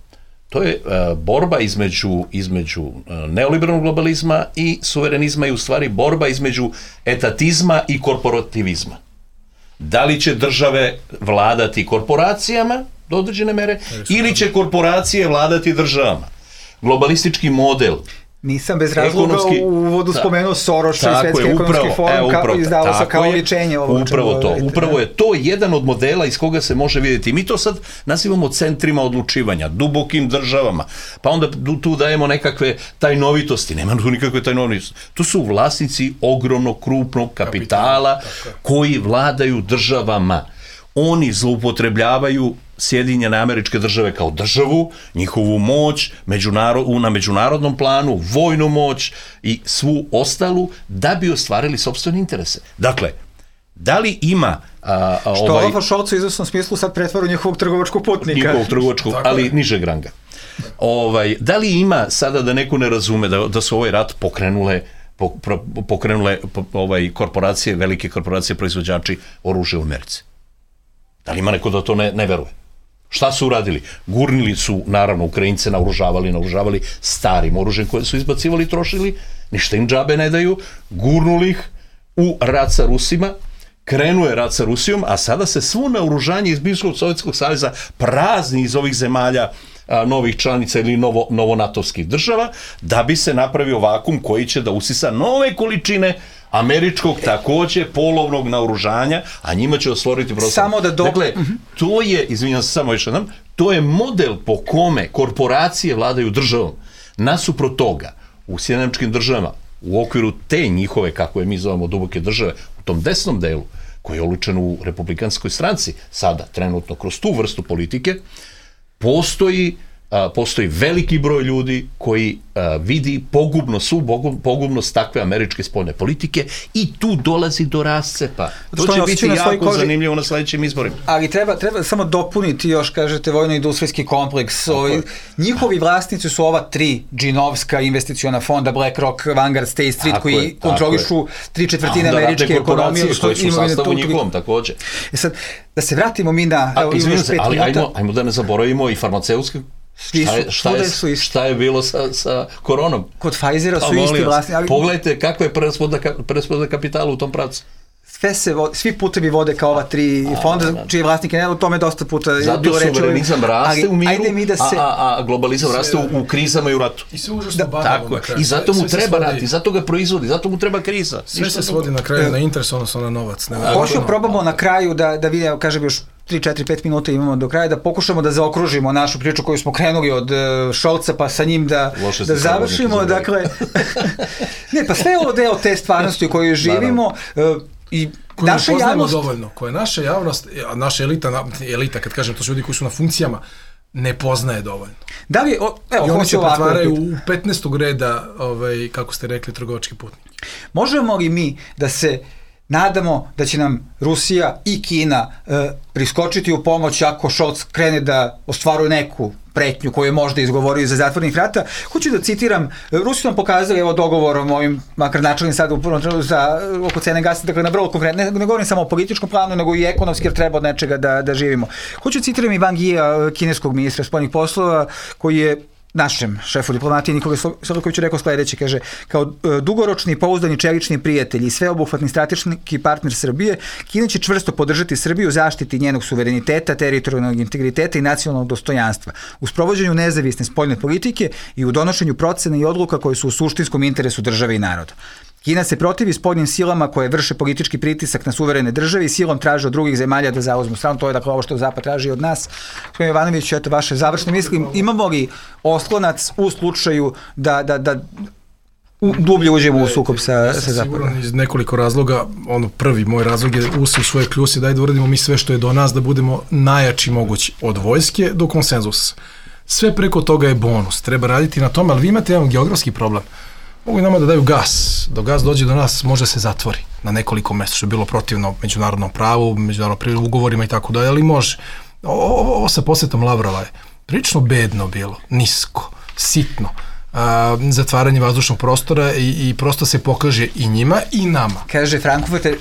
to je uh, borba između, između uh, neoliberalnog globalizma i suverenizma i u stvari borba između etatizma i korporativizma. Da li će države vladati korporacijama do određene mere ili će korporacije vladati državama? Globalistički model. Nisam bez razloga ekonomski, u uvodu spomenuo Soros i Svetski ekonomski forum kako izdao sa kao ličenje. Upravo to. Upravo je to jedan od modela iz koga se može vidjeti. Mi to sad nazivamo centrima odlučivanja, dubokim državama, pa onda tu dajemo nekakve tajnovitosti. Nema tu nikakve tajnovitosti. To su vlasnici ogromnog, krupnog kapitala koji vladaju državama. Oni zloupotrebljavaju Sjedinjene Američke Države kao državu, njihovu moć međunarod, na međunarodnom planu, vojnu moć i svu ostalu da bi ostvarili sopstvene interese. Dakle, da li ima... A, a, što ovaj, Olafa Šolca u izvesnom smislu sad pretvaru njihovog trgovačkog putnika. Njihovog trgovačkog, ali nižeg ranga. Ovaj, da li ima sada da neko ne razume da, da su ovaj rat pokrenule pokrenule ovaj, korporacije, velike korporacije, proizvođači oružja u Americi? Da li ima neko da to ne, ne veruje? Šta su uradili? Gurnili su, naravno, Ukrajince naoružavali, naoružavali starim oružjem koje su izbacivali i trošili, ništa im džabe ne daju, gurnuli ih u rat sa Rusima, krenuo je rat sa Rusijom, a sada se svo naoružanje iz bivšeg Sovjetskog saveza prazni iz ovih zemalja a, novih članica ili novo, novonatovskih država, da bi se napravio vakum koji će da usisa nove količine američkog takođe polovnog naoružanja, a njima će osvoriti prostor. Samo da do... Dakle, to je, izvinjam se samo još jednom, to je model po kome korporacije vladaju državom. Nasuprot toga, u Sjedinjenim Američkim Državama, u okviru te njihove, kako je mi zovemo, duboke države, u tom desnom delu, koji je olučen u republikanskoj stranci, sada, trenutno, kroz tu vrstu politike, postoji a, postoji veliki broj ljudi koji a, vidi pogubnost, su pogubnost takve američke spoljne politike i tu dolazi do rascepa. To će biti jako koži... zanimljivo na sledećim izborima. Ali treba, treba samo dopuniti još, kažete, vojno-industrijski kompleks. Ovi, njihovi vlasnici su ova tri džinovska investiciona fonda, BlackRock, Vanguard, State Street, tako koji je, kontrolišu tri četvrtine američke ekonomije. Koji su u sastavu njihovom, takođe. E sad, da se vratimo mi na... A, izvinite se, ali ajmo, ajmo da ne zaboravimo i farmaceutske. Šta je, šta, je, šta je bilo sa, sa koronom? Kod Pfizera su isti vlasni. Ali... Pogledajte kakva je preraspodela kapitala u tom pravcu. Sve se, svi putevi vode kao ova tri a, fonda, da. Čiji vlasnike ne, o tome dosta puta zato bilo reći. Zato suverenizam raste ali, u miru, da se... a, a, a globalizam sve, raste u, u krizama i u ratu. I sve užasno da, tako je. I zato mu sve treba rat, i zato ga proizvodi, zato mu treba kriza. Sve se svodi na kraju na interes, odnosno na novac. Hoću probamo na kraju da, da vidimo, kažem još tri četiri pet minuta imamo do kraja, da pokušamo da zaokružimo našu priču koju smo krenuli od uh, Šolca pa sa njim da, da završimo. Dakle, ne, pa sve je ovo deo te stvarnosti u kojoj živimo uh, i koju naša ne javnost... dovoljno, koja naša javnost, naša elita, elita, kad kažem, to su ljudi koji su na funkcijama, ne poznaje dovoljno. Da li, o, evo, i oni se pretvaraju u petnaestog reda, ovaj, kako ste rekli, trgovački putnik. Možemo li mi da se nadamo da će nam Rusija i Kina e, priskočiti u pomoć ako Šolc krene da ostvaruje neku pretnju koju je možda izgovorio za zatvornih vrata? Hoću da citiram, Rusi su nam pokazali evo dogovorom ovim, makar načelnim sada u prvom trenutku za oko cene gasa, dakle na vrlo konkretno, ne, ne govorim samo o političkom planu, nego i ekonomski jer treba od nečega da, da živimo. Hoću da citiram i Wang Yi, kineskog ministra spoljnih poslova, koji je našem šefu diplomatije Nikole Selakoviću rekao sledeće, kaže, kao dugoročni i pouzdani čelični prijatelj i sveobuhvatni strateški partner Srbije, Kina će čvrsto podržati Srbiju u zaštiti njenog suvereniteta, teritorijalnog integriteta i nacionalnog dostojanstva, u sprovođenju nezavisne spoljne politike i u donošenju procena i odluka koje su u suštinskom interesu države i naroda. Kina se protivi spoljnim silama koje vrše politički pritisak na suverene države i silom traže od drugih zemalja da zauzmu stranu. To je dakle ovo što Zapad traži od nas. Gospodin Jovanović, eto vaše završne misli. Imamo li oslonac u slučaju da, da, da dublje uđemo u sukob sa, sa Zapadom? Siguran iz nekoliko razloga. Ono, prvi moj razlog je usi u svoje kljuse, daj da uradimo mi sve što je do nas, da budemo najjači mogući od vojske do konsenzusa. Sve preko toga je bonus. Treba raditi na tome, ali vi imate jedan geografski problem. Mogu i nama da daju gas. Dok gas dođe do nas, može se zatvori na nekoliko mjesta, što je bilo protivno međunarodnom pravu, međunarodnom ugovorima i tako dalje, ali može. Ovo, ovo sa posjetom Lavrova je prilično bedno bilo, nisko, sitno. A, zatvaranje vazdušnog prostora i, i prosto se pokaže i njima i nama. Kaže Frankfurter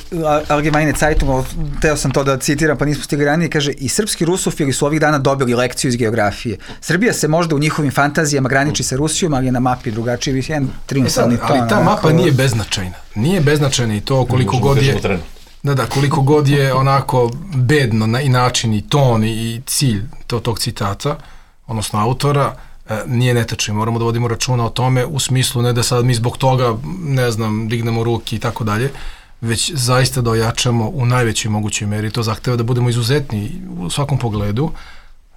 Allgemeine Zeitung, teo sam to da citiram pa nismo stigli ranije, kaže i srpski rusofili su ovih dana dobili lekciju iz geografije. Srbija se možda u njihovim fantazijama graniči sa Rusijom, ali je na mapi drugačiji, jedan triumfalni ton. Ali ta mapa nije beznačajna. Nije beznačajna i to koliko god je... Da, da, koliko god je onako bedno na, i način i ton i, i cilj to, tog citata, odnosno autora, nije netačno. Moramo da vodimo računa o tome u smislu ne da sad mi zbog toga, ne znam, dignemo ruke i tako dalje, već zaista da ojačamo u najvećoj mogućoj meri. To zahteva da budemo izuzetni u svakom pogledu,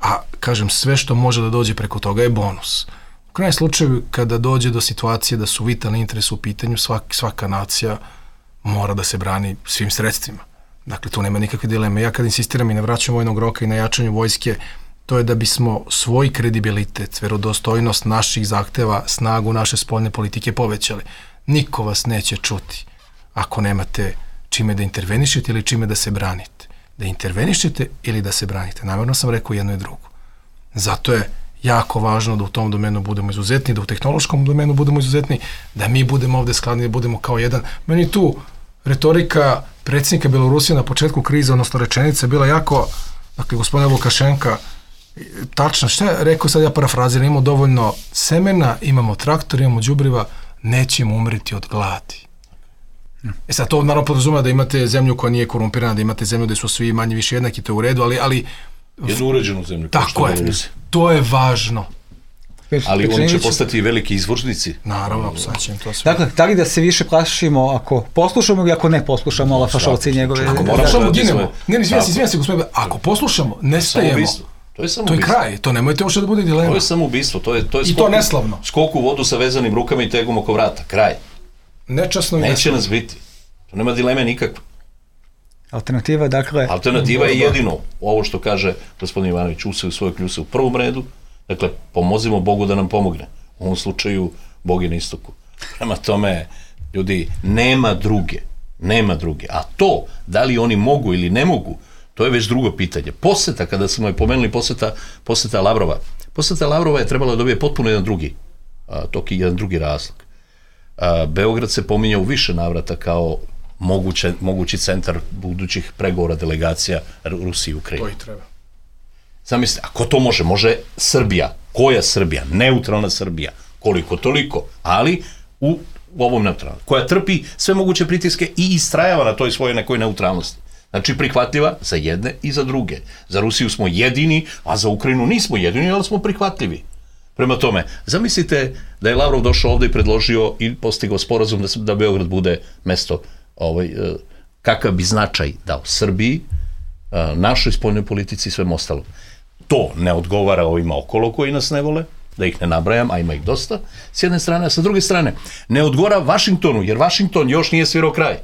a kažem, sve što može da dođe preko toga je bonus. U krajnjem slučaju, kada dođe do situacije da su vitalni interesi u pitanju, svak, svaka nacija mora da se brani svim sredstvima. Dakle, tu nema nikakve dileme. Ja kad insistiram i na vraćanju vojnog roka i na jačanju vojske, to je da bismo svoj kredibilitet, verodostojnost naših zahteva, snagu naše spoljne politike povećali. Niko vas neće čuti ako nemate čime da intervenišete ili čime da se branite. Da intervenišete ili da se branite. Namjerno sam rekao jedno i drugo. Zato je jako važno da u tom domenu budemo izuzetni, da u tehnološkom domenu budemo izuzetni, da mi budemo ovde skladni, da budemo kao jedan. Meni tu retorika predsjednika Belorusije na početku krize, odnosno rečenica, bila jako, dakle, gospodina Lukašenka, tačno, šta je rekao, sad ja parafraziram, imamo dovoljno semena, imamo traktor, imamo đubriva, nećemo umreti od gladi. E sad, to naravno podrazumeva da imate zemlju koja nije korumpirana, da imate zemlju gde su svi manje više jednaki, to je u redu, ali... ali jednu uređenu zemlju. Tako je, to je važno. Ali oni će postati veliki izvoznici. Naravno, sad će im to sve. Dakle, da li da se više plašimo ako poslušamo ili ako ne poslušamo Olafa Šolca i njegove... Ako poslušamo, ginemo. Ne, ne, izvijem se, izvijem se, gospodine, ako poslušamo, nestajemo. To je, to je kraj, to nemojte uopšte da bude dilema. To je samoubistvo, to je, to je i to neslavno. Skok u vodu sa vezanim rukama i tegom oko vrata, kraj. Nečasno i neće neslavno. Nas biti. To nema dileme nikakve. Alternativa, dakle... Alternativa je jedino ovo što kaže gospodin Ivanović, use u svoje kljuse u prvom redu, dakle, pomozimo Bogu da nam pomogne. U ovom slučaju, Bog je na istoku. Prema tome, ljudi, nema druge, nema druge. A to, da li oni mogu ili ne mogu, to je već drugo pitanje. Poseta, kada smo je pomenuli, poseta, poseta Lavrova. Poseta Lavrova je trebalo da dobije potpuno jedan drugi, a, toki jedan drugi razlog. A, Beograd se pominja u više navrata kao moguće, mogući centar budućih pregovora delegacija Rusije i Ukrajine. To i treba. Zamislite, ako to može, može Srbija. Koja Srbija? Neutralna Srbija. Koliko toliko, ali u, u ovom neutralnom. Koja trpi sve moguće pritiske i istrajava na toj svojoj nekoj neutralnosti. Znači prihvatljiva za jedne i za druge. Za Rusiju smo jedini, a za Ukrajinu nismo jedini, ali smo prihvatljivi. Prema tome, zamislite da je Lavrov došao ovde i predložio i postigao sporazum da, da Beograd bude mesto, ovaj, kakav bi značaj dao Srbiji, našoj spoljnoj politici i svem ostalom. To ne odgovara ovima okolo koji nas ne vole, da ih ne nabrajam, a ima ih dosta, s jedne strane, a sa druge strane, ne odgovara Vašingtonu, jer Vašington još nije svirao kraj.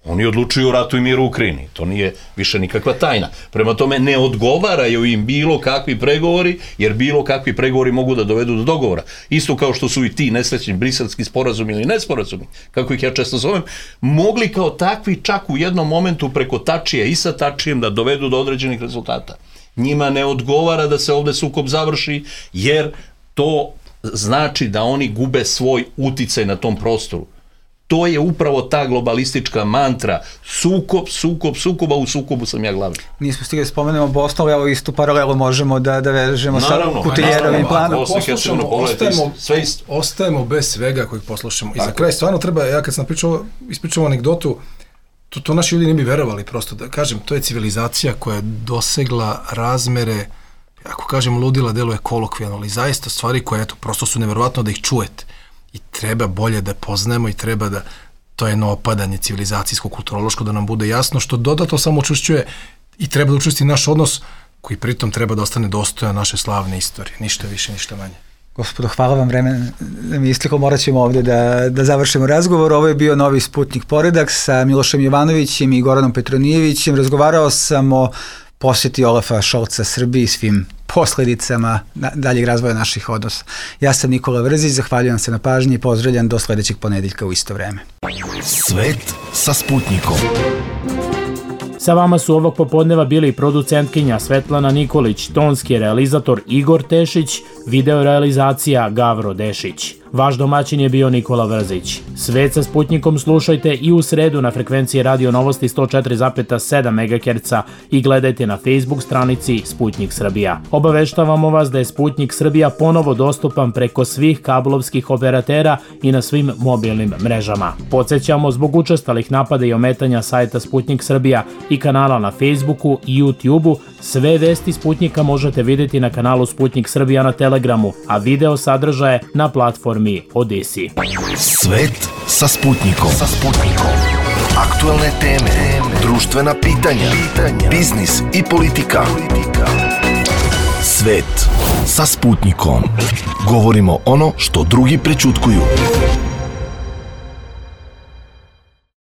Oni odlučuju o ratu i miru u Ukrajini. To nije više nikakva tajna. Prema tome, ne odgovaraju im bilo kakvi pregovori, jer bilo kakvi pregovori mogu da dovedu do dogovora. Isto kao što su i ti nesrećni briselski sporazumi ili nesporazumi, kako ih ja često zovem, mogli kao takvi čak u jednom momentu preko Tačija i sa Tačijem da dovedu do određenih rezultata. Njima ne odgovara da se ovde sukob završi, jer to znači da oni gube svoj uticaj na tom prostoru. to je upravo ta globalistička mantra, sukob, sukob, sukoba, u sukobu sam ja glavni. Nismo stigli spomenemo Bosnu, ali evo istu paralelu možemo da, da vežemo naravno, sa Kutiljerovim planom. Poslušamo, ostajemo, ostajemo bez svega kojih poslušamo. I za kraj stvarno treba, ja kad sam pričao, ispričao anegdotu, to, to naši ljudi ne bi verovali prosto, da kažem, to je civilizacija koja je dosegla razmere, ako kažem ludila, deluje kolokvijalno, ali zaista stvari koje, eto, prosto su neverovatno da ih čujete. I treba bolje da poznajemo i treba da to je jedno opadanje civilizacijsko-kulturološko, da nam bude jasno, što dodatno samo učušćuje i treba da učusti naš odnos koji pritom treba da ostane dostojan naše slavne istorije. Ništa više, ništa manje. Gospodo, hvala vam, vreme da mi isteklo, morat ćemo ovdje da, da završimo razgovor. Ovo je bio Novi Sputnik Poredak sa Milošem Jovanovićem i Goranom Petronijevićem. Razgovarao sam o posjeti Olafa Šolca Srbiji, svim posljedicama daljeg razvoja naših odnosa. Ja sam Nikola Vrzić, zahvaljujem se na pažnji i pozdravljam do sljedećeg ponedeljka u isto vreme. Svet sa Sputnikom. Sa vama su ovog popodneva bili producentkinja Svetlana Nikolić, tonski realizator Igor Tešić, video realizacija Gavro Dešić. Vaš domaćin je bio Nikola Vrzić. Svet sa Sputnikom slušajte i u sredu na frekvenciji Radio Novosti sto četiri zarez sedam megaherca i gledajte na Facebook stranici Sputnik Srbija. Obaveštavamo vas da je Sputnik Srbija ponovo dostupan preko svih kablovskih operatera i na svim mobilnim mrežama. Podsjećamo, zbog učestalih napada i ometanja sajta Sputnik Srbija i kanala na Facebooku i YouTubeu, sve vesti Sputnika možete vidjeti na kanalu Sputnik Srbija na Telegramu, a video sadržaje na platformi Odisi. Svet sa Sputnikom. Sa Sputnikom. Aktualne teme, društvena pitanja, biznis i politika. Svet sa Sputnikom. Govorimo ono što drugi prećutkuju.